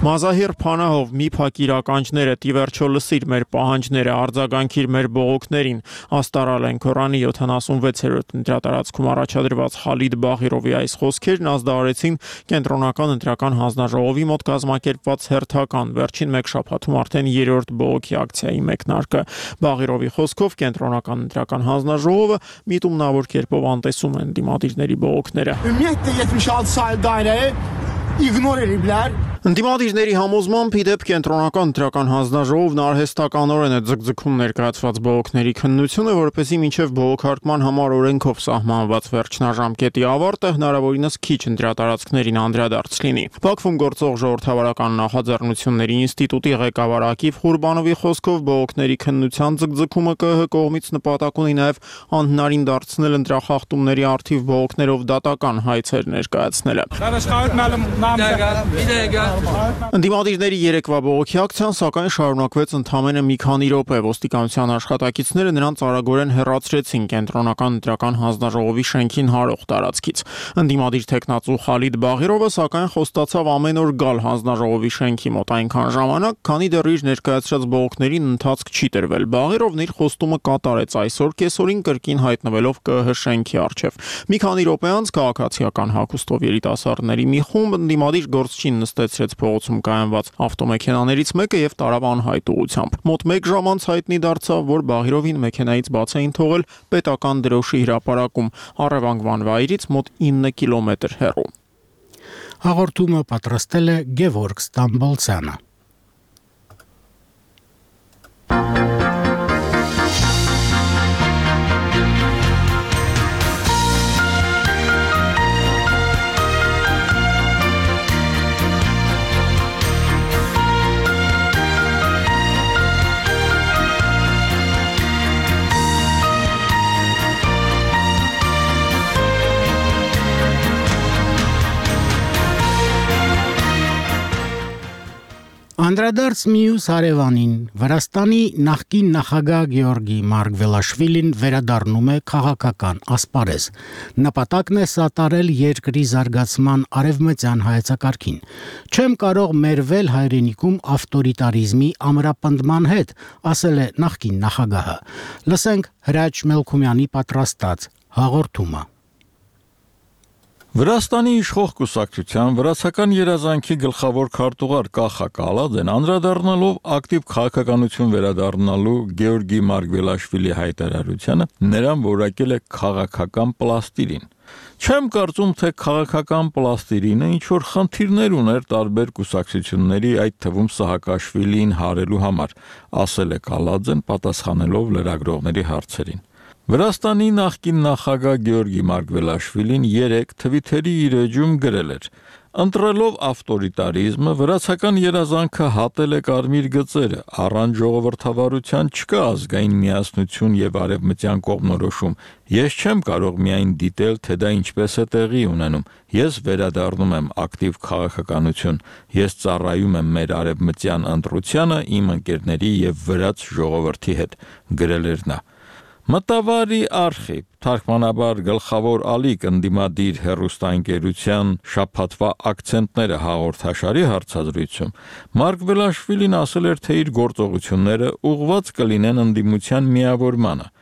Մազահիր Փանահով, մի փակ իրականչները տիվերջո լսիր մեր պահանջները, արձագանքիր մեր բողոքներին։ Աստարալ են Քորանի 76-րդ ընտրատարածքում առաջադրված Խալիդ Բաղիրովի այս խոսքերն ազդարարեցին կենտրոնական ընտրական հանձնաժողովի մոտ կազմակերպված հերթական վերջին մեկ շաբաթում արդեն 3-րդ բողոքի ակցիայի մեկնարկը։ Բաղիրովի խոսքով կենտրոնական ընտրական հանձնաժողովը միտումնավոր կերպով անտեսում են դիմադիրների բողոքները։ Ümumiyyətlə 76 saylı dairəyi ignor ediblər. Ընդդիմադիրների համոզմամբ իդեպ կենտրոնական ընտրական հանձնաժողովն արհեստականորեն է ձգձգում ներկայացված բողոքների քննությունը, որպեսզի մինչև բողոքարկման համար օրենքով սահմանված վերջնաժամկետի ավարտը հնարավորինս քիչ ընտրատարածքներին անդրադարձ լինի։ Բաքվում գործող ժողովրդավարական նախաձեռնությունների ինստիտուտի ղեկավար Ակիվ Ղուրբանովի խոսքով բողոքների քննության ձգձգումը ԿՀ կողմից նպատակ ունի նաև անհնարին դարձնել ընտրախախտումների առթիվ բողոքներով դատական հայցեր ներկայացնելը։ Ընդդիմադիրների երեկվա բողոքի ակցիան սակայն շարունակվեց ընդամենը մի քանի րոպե։ Ոստիկանության աշխատակիցները նրանց արագորեն հեռացրեցին կենտրոնական ընտրական հանձնաժողովի շենքին հարող տարածքից։ Ընդդիմադիր տեխնացու Խալիդ Բաղիրովը սակայն խոստացավ ամեն օր գալ հանձնաժողովի շենքի մոտ այնքան ժամանակ, քանի դեռ իր ներկայացրած բողոքներին ընթացք չի տրվել։ Բաղիրովն իր խոստումը կատարեց այսօր կեսօրին կրկին հայտնվելով ԿՀ շենքի առջև։ Մի քանի րոպե անց քաղաքացիական հագուստով երիտասարդների մի խումբ ընդդիմադիր գործչին նստեցրեց փողոցում կայանված ավտոմեքենաներից մեկը եւ տարավ անհայտ ուղությամբ։ Մոտ 1 ժամ անց հայտնի դարձավ, որ Բաղիրովին մեքենայից բաց էին թողել պետական դրոշի հրապարակում առևանգման վայրից մոտ 9 կիլոմետր հեռու։ Հաղորդումը պատրաստել է Գևորգ Ստամբոլցյանը։ Անդրադարձ մյուս հարևանին Վրաստանի նախկին նախագահ Գեորգի Մարգվելաշվիլին վերադառնում է քաղաքական ասպարեզ։ Նպատակն է սատարել երկրի զարգացման արևմտյան հայեցակարգին։ Չեմ կարող մերվել հայրենիքում ավտորիտարիզմի ամրապնդման հետ, ասել է նախկին նախագահը։ Լսենք Հրաչ Մելքումյանի պատրաստած հաղորդումը։ Վրաստանի իշխող կուսակցության վրացական երազանքի գլխավոր քարտուղար Կախա Կալադեն անդրադառնալով ակտիվ քաղաքականություն վերադառնալու Գեորգի Մարգվելաշվիլի հայտարարությանը նրան որակել է քաղաքական պլաստիլին։ Չեմ կարծում, թե քաղաքական պլաստիրինը ինչ որ խնդիրներ ուներ տարբեր կուսակցությունների, այդ թվում Սահակաշվիլիին հարելու համար, ասել է Կալաձեն պատասխանելով լրագրողների հարցերին։ Վրաստանի նախկին նախագահ Գեորգի Մարգվելաշվիլին 3 Թվիթերի իր էջում գրել էր. Ընտրելով ավտորիտարիզմը, վրացական երազանքը հատել է կարմիր գծերը, առանց ժողովրդավարության չկա ազգային միասնություն եւ արևմտյան կողմնորոշում։ Ես չեմ կարող միայն դիտել, թե դա ինչպես է տեղի ունենում։ Ես վերադառնում եմ ակտիվ քաղաքականություն։ Ես ծառայում եմ մեր արևմտյան ընտրությանը իմ ընկերների եւ վրաց ժողովրդի հետ, գրել էր նա։ Մտավարի արխիվ, թարգմանաբար գլխավոր ալիք ընդդիմադիր հեռուստաընկերության շաբաթվա ակցենտները հաղորդաշարի հարցազրույցում Մարգվելաշվիլին ասել էր, թե իր գործողությունները ուղղված կլինեն ընդդիմության միավորմանը։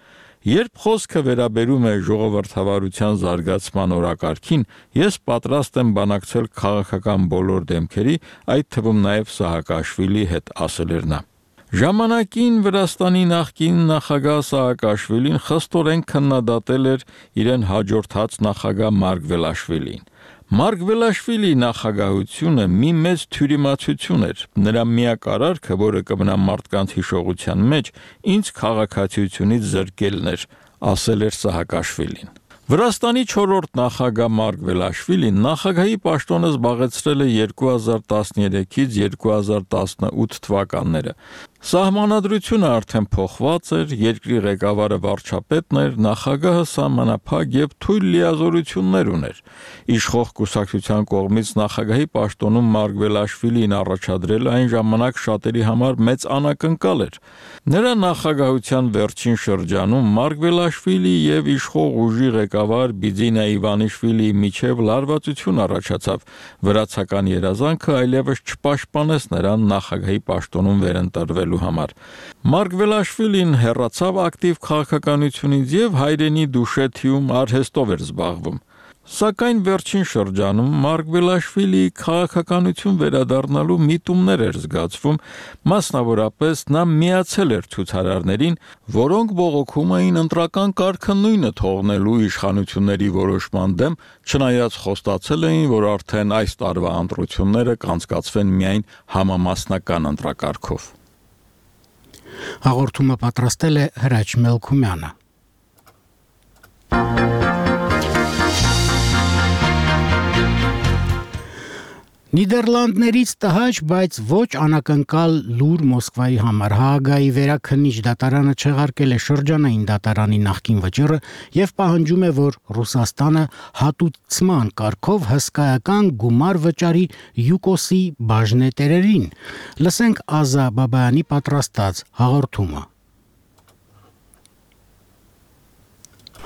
Երբ խոսքը վերաբերում է ժողովրդավարության զարգացման օրակարգին, ես պատրաստ եմ բանակցել քաղաքական բոլոր դեմքերի, այդ թվում նաև Սահակաշվիլիի հետ, ասել էր նա։ Ժամանակին Վրաստանի նախկին նախագահ Սահակաշվիլին խստորեն քննադատել էր իրեն հաջորդած նախագահ Մարգվելաշվիլին։ Մարգվելաշվիլի նախագահությունը մի մեծ թյուրիմացություն էր, նրա միակ արարքը, որը կմնա մարդկանց հիշողության մեջ, ինձ քաղաքացիությունից զրկելն էր, ասել էր Սահակաշվիլին։ Վրաստանի 4-րդ նախագահ Մարգվելաշվիլին նախագահի պաշտոնը զբաղեցրել է 2013-ից 2018 թվականները։ Սահմանադրությունը արդեն փոխված էր, երկրի ղեկավարը վարչապետն էր, նախագահը սահմանափակ եւ թույլ լիազորություններ ուներ։ Իշխող կուսակցության կողմից նախագահի պաշտոնում Մարգվելաշվիլին առաջադրելը այն ժամանակ շատերի համար մեծ անակնկալ էր։ Նրա նախագահության վերջին շրջանում Մարգվելաշվիլի եւ իշխող ուժի ղեկավար Բիձինա Իվանիշվիլիի միջև լարվածություն առաջացավ։ Վրացական երազանքը այլևս չպաշտպանեց նրան նախագահի պաշտոնում վերընտրվելու համար։ Մարգվելաշվիլին հեռացավ ակտիվ քաղաքականությունից եւ հայրենի Դուշեթիում արհեստով էր զբաղվում։ Սակայն վերջին շրջանում Մարգվելաշվիլիի քաղաքականություն վերադառնալու միտումներ էր զգացվում, մասնավորապես նա միացել էր ցուցարարներին, որոնք բողոքում էին ընտրական կարգը նույնը թողնելու իշխանությունների որոշման դեմ, չնայած խոստացել էին, որ արդեն այս տարվա ընտրությունները կանցկացվեն միայն համամասնական ընտրակարգով։ Հաղորդումը պատրաստել է Հրաչ Մելքումյանը։ Նիդերլանդներից տհաճ, բայց ոչ անակնկալ լուր Մոսկվայի համար Հաագայի վերաքննիչ դատարանը չեղարկել է շրջանային դատարանի նախկին վճիռը եւ պահանջում է, որ Ռուսաստանը հատուցման կարգով հսկայական գումար վճարի ՅՈՒԿՕՍ-ի բաժնետերերին։ Լսենք Ազա Բաբայանի պատրաստած հաղորդումը։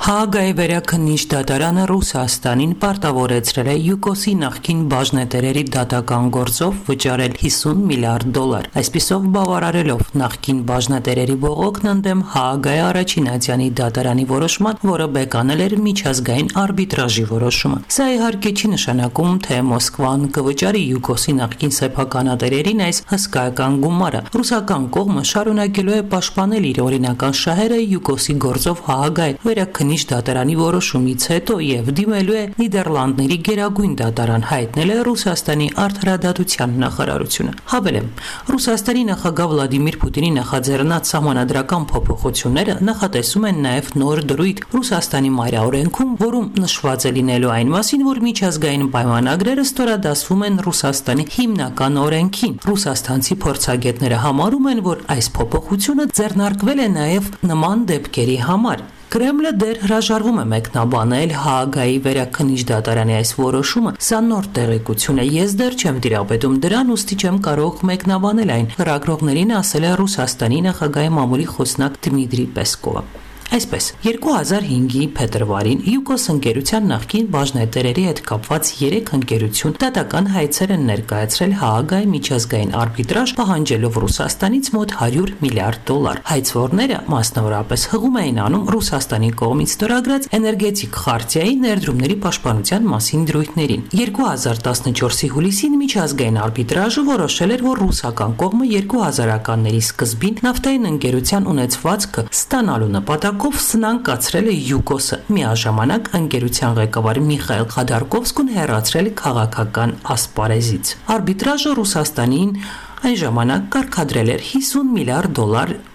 Հաագայի վերաքննիչ դատարանը Ռուսաստանին պարտավորեցրել է ՅՈՒԿՕՍ-ի նախկին բաժնետերերի դատական գործով վճարել $50 միլիարդ, այսպիսով բավարարելով նախկին բաժնետերերի բողոքն ընդդեմ Հաագայի առաջին ատյանի դատարանի որոշման, որը բեկանել էր միջազգային արբիտրաժի որոշումը։ Սա իհարկե չի նշանակում, թե Մոսկվան կվճարի ՅՈՒԿՕՍ-ի նախկին սեփականատերերին այս հսկայական գումարը։ Ռուսական կողմը շարունակելու է պաշտպանել իր օրինական շահերը ՅՈՒԿՕՍ-ի գործով Հաագայի վերաքննիչ դատարանի որոշումից հետո եւ դիմելու է Նիդերլանդների գերագույն դատարան, հայտնել է Ռուսաստանի արդարադատության նախարարությունը։ Հավելեմ, Ռուսաստանի նախագահ Վլադիմիր Պուտինի նախաձեռնած սահմանադրական փոփոխությունները նախատեսում են նաեւ նոր դրույթ Ռուսաստանի մայրօրենքում, որում նշված է լինելու այն մասին, որ միջազգային պայմանագրերը ստորադասվում են Ռուսաստանի հիմնական օրենքին։ Ռուսաստանցի փորձագետները համարում են, որ այս փոփոխությունը ձեռնարկվել է նաեւ նման դեպքերի համար։ Կրեմլը դեռ հրաժարվում է մեկնաբանել Հաագայի վերաքննիչ դատարանի այս որոշումը, սա նոր տեղեկություն է, ես դեռ չեմ տիրապետում դրան, ուստի չեմ կարող մեկնաբանել այն, լրագրողներին ասել է Ռուսաստանի նախագահի մամուլի խոսնակ Դմիտրի Պեսկովը։ Այսպես, 2005-ի փետրվարին ՅՈՒԿՕՍ ընկերության նախկին բաժնետերերի հետ կապված 3 ընկերություն դատական հայցեր են ներկայացրել Հաագայի միջազգային արբիտրաժ, պահանջելով Ռուսաստանից մոտ $100 միլիարդ։ Հայցվորները մասնավորապես հղում էին անում Ռուսաստանի կողմից ստորագրած էներգետիկ խարտիայի ներդրումների պաշտպանության մասին դրույթներին։ 2014-ի հուլիսին միջազգային արբիտրաժը որոշել էր, որ ռուսական կողմը 2000-ականների սկզբին նավթային ընկերության ունեցվածքը ստանալու նպատակով հեղինակով սնանկացրել է ՅՈՒԿՕՍ-ը, միաժամանակ ընկերության ղեկավար Միխայել Խադարկովսկուն հեռացրել քաղաքական ասպարեզից։ Արբիտրաժը Ռուսաստանին այն ժամանակ կարգադրել էր $50 միլիարդ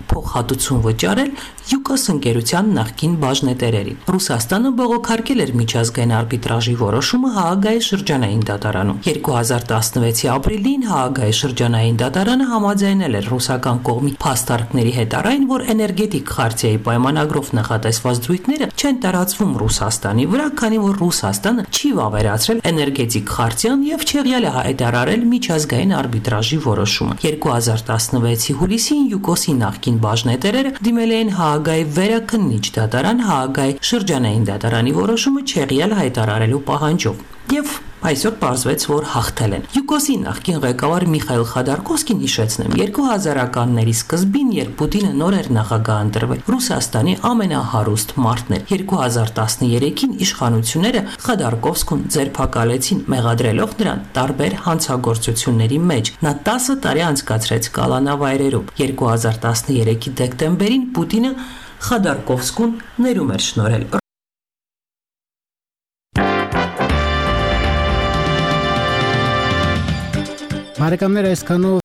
փոխհատուցում վճարել ՅՈՒԿՕՍ ընկերության նախկին բաժնետերերին։ Ռուսաստանը բողոքարկել էր միջազգային արբիտրաժի որոշումը Հաագայի շրջանային դատարանում։ 2016-ի ապրիլին Հաագայի շրջանային դատարանը համաձայնել էր ռուսական կողմի փաստարկների հետ առայն, որ էներգետիկ խարտիայի պայմանագրով նախատեսված զույգները չեն տարածվում Ռուսաստանի վրա, քանի որ Ռուսաստանը չի վավերացրել էներգետիկ խարտիան եւ չեղյալ է հայտարարել միջազգային արբիտրաժի որոշումը։ 2016-ի հուլիսին ՅՈՒԿՕՍ-ի նախկին բաժնետերերը դիմել էին Հաագայի վերաքննիչ դատարան Հաագայի շրջանային դատարանի որոշումը չեղյալ հայտարարելու պահանջով եւ այսօր պարզվեց, որ հաղթել են։ ՅՈՒԿՕՍ-ի նախկին ղեկավար Միխայել Խադարկովսկին հիշեցնեմ 2000-ականների սկզբին, երբ Պուտինը նոր էր նախագահ ընտրվել, Ռուսաստանի ամենահարուստ մարդն էր։ 2013-ին իշխանությունները Խադարկովսկուն ձերբակալեցին, մեղադրելով նրան տարբեր հանցագործությունների մեջ։ Նա 10 տարի անցկացրեց կալանավայրերում։ 2013-ի դեկտեմբերին Պուտինը Խադարկովսկուն ներում էր շնորհել։ Բարեկամներ, այսքանով